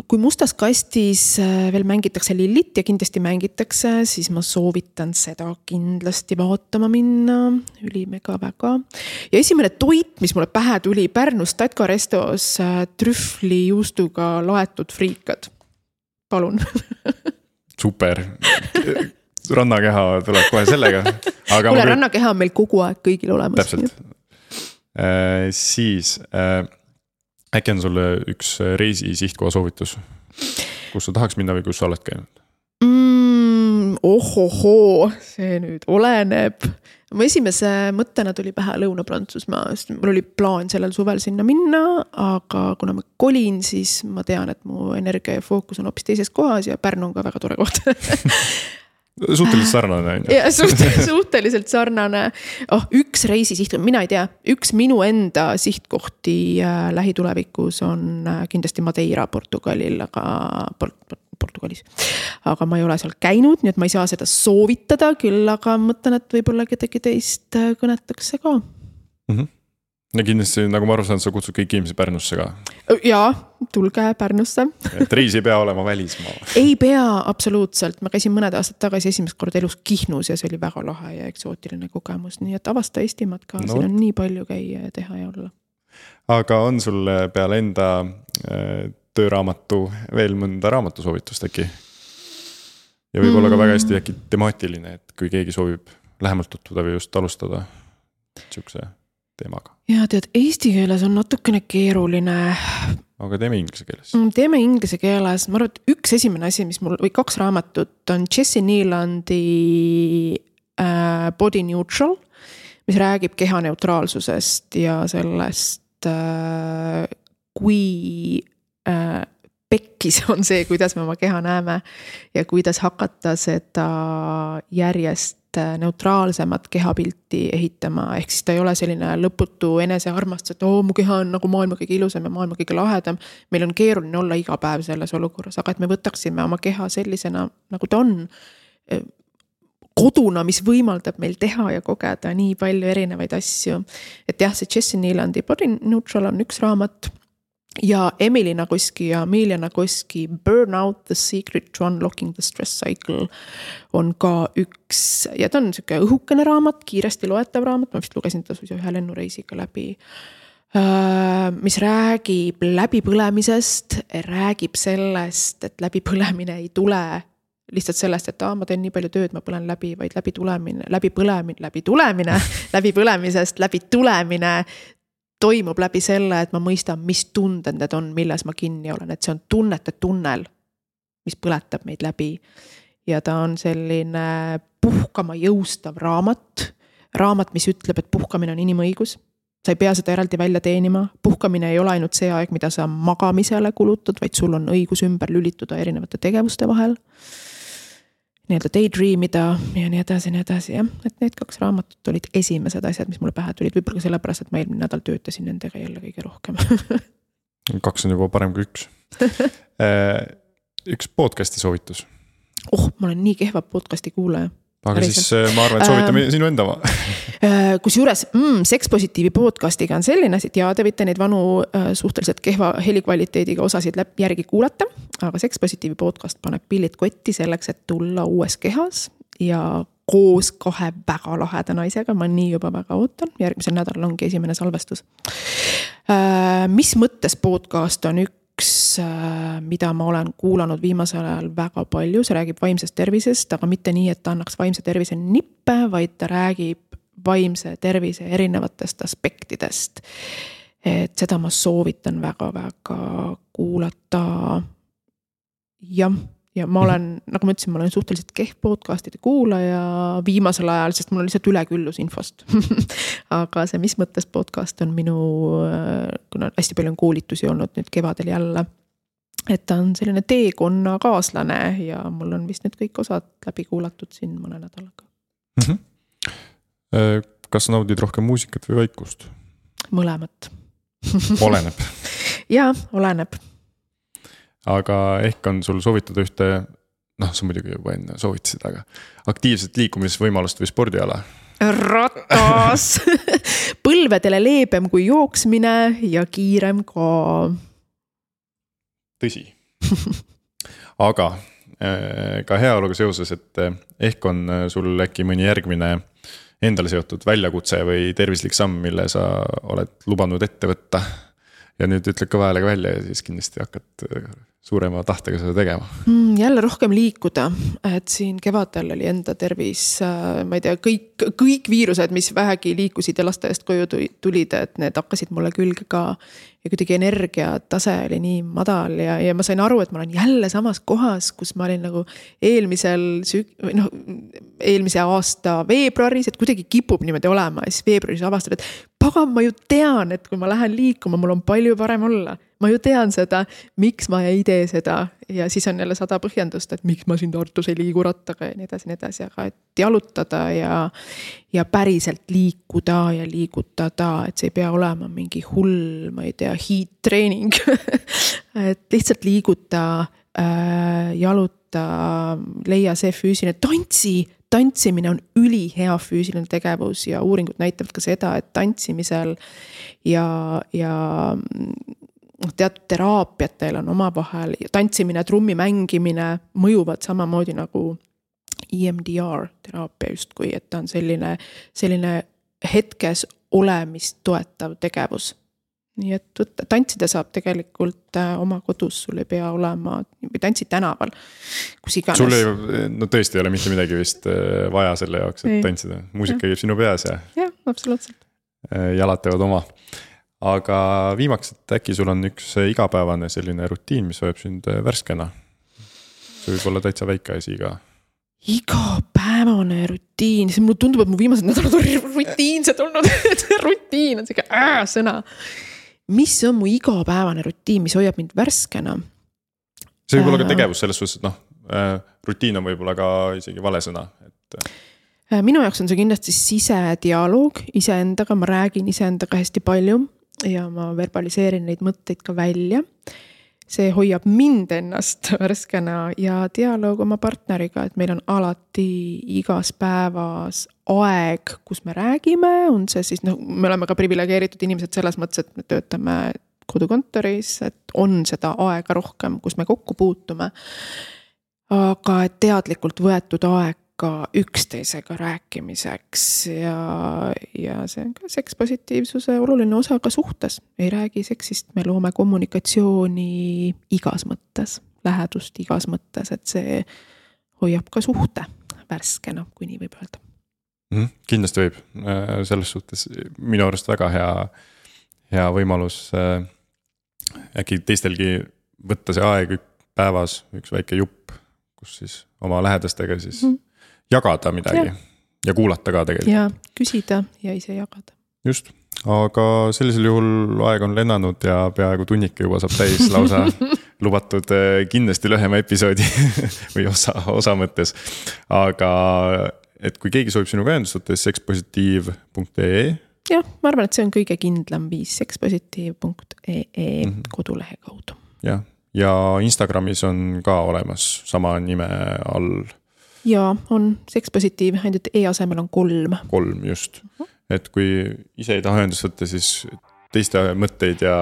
Kui mustas kastis veel mängitakse Lillit ja kindlasti mängitakse, siis ma soovitan seda kindlasti vaatama minna. Ülimega väga. Ja esimene toit, mis mulle pähe tuli Pärnus Tatka restos, trühvli juustuga laetud friikad. Palun. Super. Rannakeha tuleb kohe sellega. Kuule, rannakeha on meil kogu aeg kõigil olemas. Täpselt. Siis äkki on sulle üks reisi sihtkoha soovitus, kus sa tahaks minna või kus sa oled käinud? Ohohoo, see nüüd oleneb. Mu esimese mõttena tuli pähe Lõuna-Prantsusmaa, sest mul oli plaan sellel suvel sinna minna, aga kuna ma kolin, siis ma tean, et mu energia ja fookus on hoopis teises kohas ja Pärnu on ka väga tore koht. Suhteliselt sarnane. Ja, suhteliselt sarnane. Üks reisi sihtkoht, mina ei tea, üks minu enda sihtkohti lähitulevikus on kindlasti Madeira Portugalil, aga Portugalis. Aga ma ei ole seal käinud, nii et ma ei saa seda soovitada küll, aga mõtlen, et võib-olla kedagi teist kõnetakse ka. Ja kindlasti, nagu ma aru saan, sa kutsud kõik inimesi Pärnusse ka. Jaa, tulge Pärnusse. Et reis ei pea olema välismaa. Ei pea, absoluutselt. Ma käisin mõned aastad tagasi esimest korda elus Kihnus ja see oli väga lahe ja eksootiline kogemus. Nii et avasta Eestimaad ka, siin on nii palju käia ja teha ja olla. Aga on sul peale enda tööraamatu veel mõnda raamatusoovitust äkki? Ja võib-olla ka väga hästi äkki temaatiline, et kui keegi soovib lähemalt tutvuda või just alustada siukse teemaga. Ja tead, eesti keeles on natukene keeruline. Aga teeme inglise keeles. Teeme inglise keeles. Ma arvan, et üks esimene asi, mis mul, või 2 raamatut on Jesse Nealandi Body Neutral, mis räägib kehaneutraalsusest ja sellest, kui pekkis on see, kuidas me oma keha näeme ja kuidas hakata seda järjest neutraalsemat kehapilti ehitama, ehk siis ta ei ole selline lõputu enesearmastus, et mu keha on nagu maailma kõige ilusam ja maailma kõige lahedam. Meil on keeruline olla iga päev selles olukorras, aga et me võtaksime oma keha sellisena, nagu ta on koduna, mis võimaldab meil teha ja kogeda nii palju erinevaid asju. Et jah, see Jesse Nealandi Body Neutral on üks raamat ja Emily Nagoski ja Amelia Nagoski Burnout, The Secret to Unlocking the Stress Cycle on ka üks, ja ta on selline õhukene raamat, kiiresti loetav raamat, ma vist lugesin ta suisa 1 lennureisiga läbi, mis räägib läbipõlemisest, räägib sellest, et läbipõlemine ei tule lihtsalt sellest, et ma teen nii palju tööd, ma põlen läbi, vaid läbipõlemisest, läbitulemine toimub läbi selle, et ma mõistan, mis tunded need on, milles ma kinni olen, et see on tunnete tunnel, mis põletab meid läbi. Ja ta on selline puhkama jõustav raamat, mis ütleb, et puhkamine on inimõigus. Sa ei pea seda eraldi välja teenima. Puhkamine ei ole ainult see aeg, mida sa magamisele kulutad, vaid sul on õigus ümber lülituda erinevate tegevuste vahel. Nii-öelda daydreamida ja nii edasi, jah. Et need 2 raamatut olid esimesed asjad, mis mulle pähe tulid, võib-olla sellepärast, et ma eelmine nädal töötasin nendega jälle kõige rohkem. 2 on juba parem kui 1. Üks podcasti soovitus. Ma olen nii kehva podcasti kuulaja. Aga siis ma arvan, et soovitame sinu enda ma. Kusjuures Sekspositiivi podcastiga on selline, et te võite neid vanu suhteliselt kehva helikvaliteediga osasid järgi kuulata, aga Sekspositiivi podcast paneb pillid kotti selleks, et tulla uues kehas ja koos 2 väga laheda naisega, ma nii juba väga ootan, järgmisel nädalal ongi esimene salvestus. Mis mõttes podcast on üks, mida ma olen kuulanud viimasel ajal väga palju, see räägib vaimsest tervisest, aga mitte nii, et ta annaks vaimse tervise nippe, vaid ta räägib vaimse tervise erinevatest aspektidest. Et seda ma soovitan väga-väga kuulata. Ja ma olen, nagu ma ütlesin, ma olen suhteliselt kehv podcastide kuulaja viimasel ajal, sest mul on lihtsalt üleküllus infost. Aga see Mis mõttes podcast on minu, kuna hästi palju on koolitusi olnud nüüd kevadel jälle, et ta on selline teekonna kaaslane ja mul on vist need kõik osad läbi kuulatud siin mõne nädalaga. Kas sa naudid rohkem muusikat või vaikust? Mõlemat. Oleneb. Jaa, oleneb. Aga ehk on sul soovitada ühte, sa muidugi juba enne soovitasid, aga aktiivset liikumisvõimalust või spordiala? Ratas! Põlvedele leebem kui jooksmine ja kiirem ka. Tõsi. Aga ka heaoluga seoses, et ehk on sul äkki mõni järgmine endale seotud väljakutse või tervislik samm, mille sa oled lubanud ette võtta ja nüüd ütled ka häälega välja ja siis kindlasti hakkad suurema tahtega seda tegema. Jälle rohkem liikuda, et siin kevadel oli enda tervis, ma ei tea, kõik viirused, mis vähegi liikusid ja lasteaiast koju tulid, et need hakkasid mulle külge ka ja kuidagi energiatase oli nii madal ja ma sain aru, et ma olen jälle samas kohas, kus ma olin nagu eelmise aasta veebruaris, et kuidagi kipub niimoodi olema ja siis veebruaris avastad, et pagan, ma ju tean, et kui ma lähen liikuma, mul on palju parem olla. Ma ju tean seda, miks ma ei tee seda ja siis on jälle 100 põhjendust, et miks ma siin Tartus ei liigu rattaga ja nii edasi, aga et jalutada ja päriselt liikuda ja liigutada, et see ei pea olema mingi hull, ma ei tea, heat training. Et lihtsalt liiguta jaluta, leia see füüsiline, tantsimine on ülihea füüsiline tegevus ja uuringud näitavad ka seda, et tantsimisel ja teatud teraapiatel on omavahel, tantsimine, trummi mängimine mõjuvad samamoodi nagu EMDR teraapia justkui, et ta on selline hetkes olemist toetav tegevus. Nii et tantsida saab tegelikult oma kodus, sul ei pea olema, või tantsid tänaval, kus iganes. Sul tõesti ei ole mitte midagi vist vaja selle jaoks, et tantsida. Muusika käib sinu peas ja absoluutselt. Jalad teevad oma. Aga viimaks, et äkki sul on üks igapäevane selline rutiin, mis hoiab sind värskena. See võib olla täitsa väike asi ka. Igapäevane rutiin, see mulle tundub, et mu viimased nädalad on rutiinsed olnud, rutiin on selline sõna. Mis on mu igapäevane rutiin, mis hoiab mind värskena? See võib olla ka tegevus selles suhtes, et rutiin on võib-olla ka isegi vale sõna. Minu jaoks on see kindlasti sisedialoog iseendaga, ma räägin iseendaga hästi palju ja ma verbaliseerin neid mõtteid ka välja. See hoiab mind ennast värskena ja dialoog oma partneriga, et meil on alati igas päevas aeg, kus me räägime, on see siis, me oleme ka privilegeeritud inimesed selles mõttes, et me töötame kodukontoris, et on seda aega rohkem, kus me kokku puutume. Aga et teadlikult võetud aeg ka üksteisega rääkimiseks ja see on ka sekspositiivsuse oluline osa ka suhtes. Ei räägi seksist, me loome kommunikatsiooni igas mõttes, lähedust igas mõttes, et see hoiab ka suhte värskena, kui nii võib öelda. Kindlasti võib. Selles suhtes minu arust väga hea võimalus äkki teistelgi võtta see aeg päevas, üks väike jupp, kus siis oma lähedastega siis jagada midagi ja kuulata ka tegelikult. Ja küsida ja ise jagada. Just, aga sellisel juhul aeg on lennanud ja peaaegu tunnike juba saab täis lausa lubatud kindlasti lühema episoodi või osa mõttes. Aga et kui keegi soovib sinuga ühendustada, sekspositiiv.ee. Jah, ma arvan, et see on kõige kindlam viis, sekspositiiv.ee kodulehe kaudu. Ja Instagramis on ka olemas sama nime all. Ja on sekspositiiv, ainult asemel on 3. 3, just. Et kui ise ei taha ühendust võtta, siis teiste mõtteid ja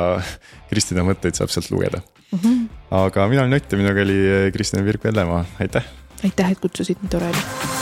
Kristina mõtteid saab sealt lugeda. Aga mina olen Ott ja minuga oli Kristina Virk-Vellemaa. Aitäh! Aitäh, et kutsusid, nii tore oli.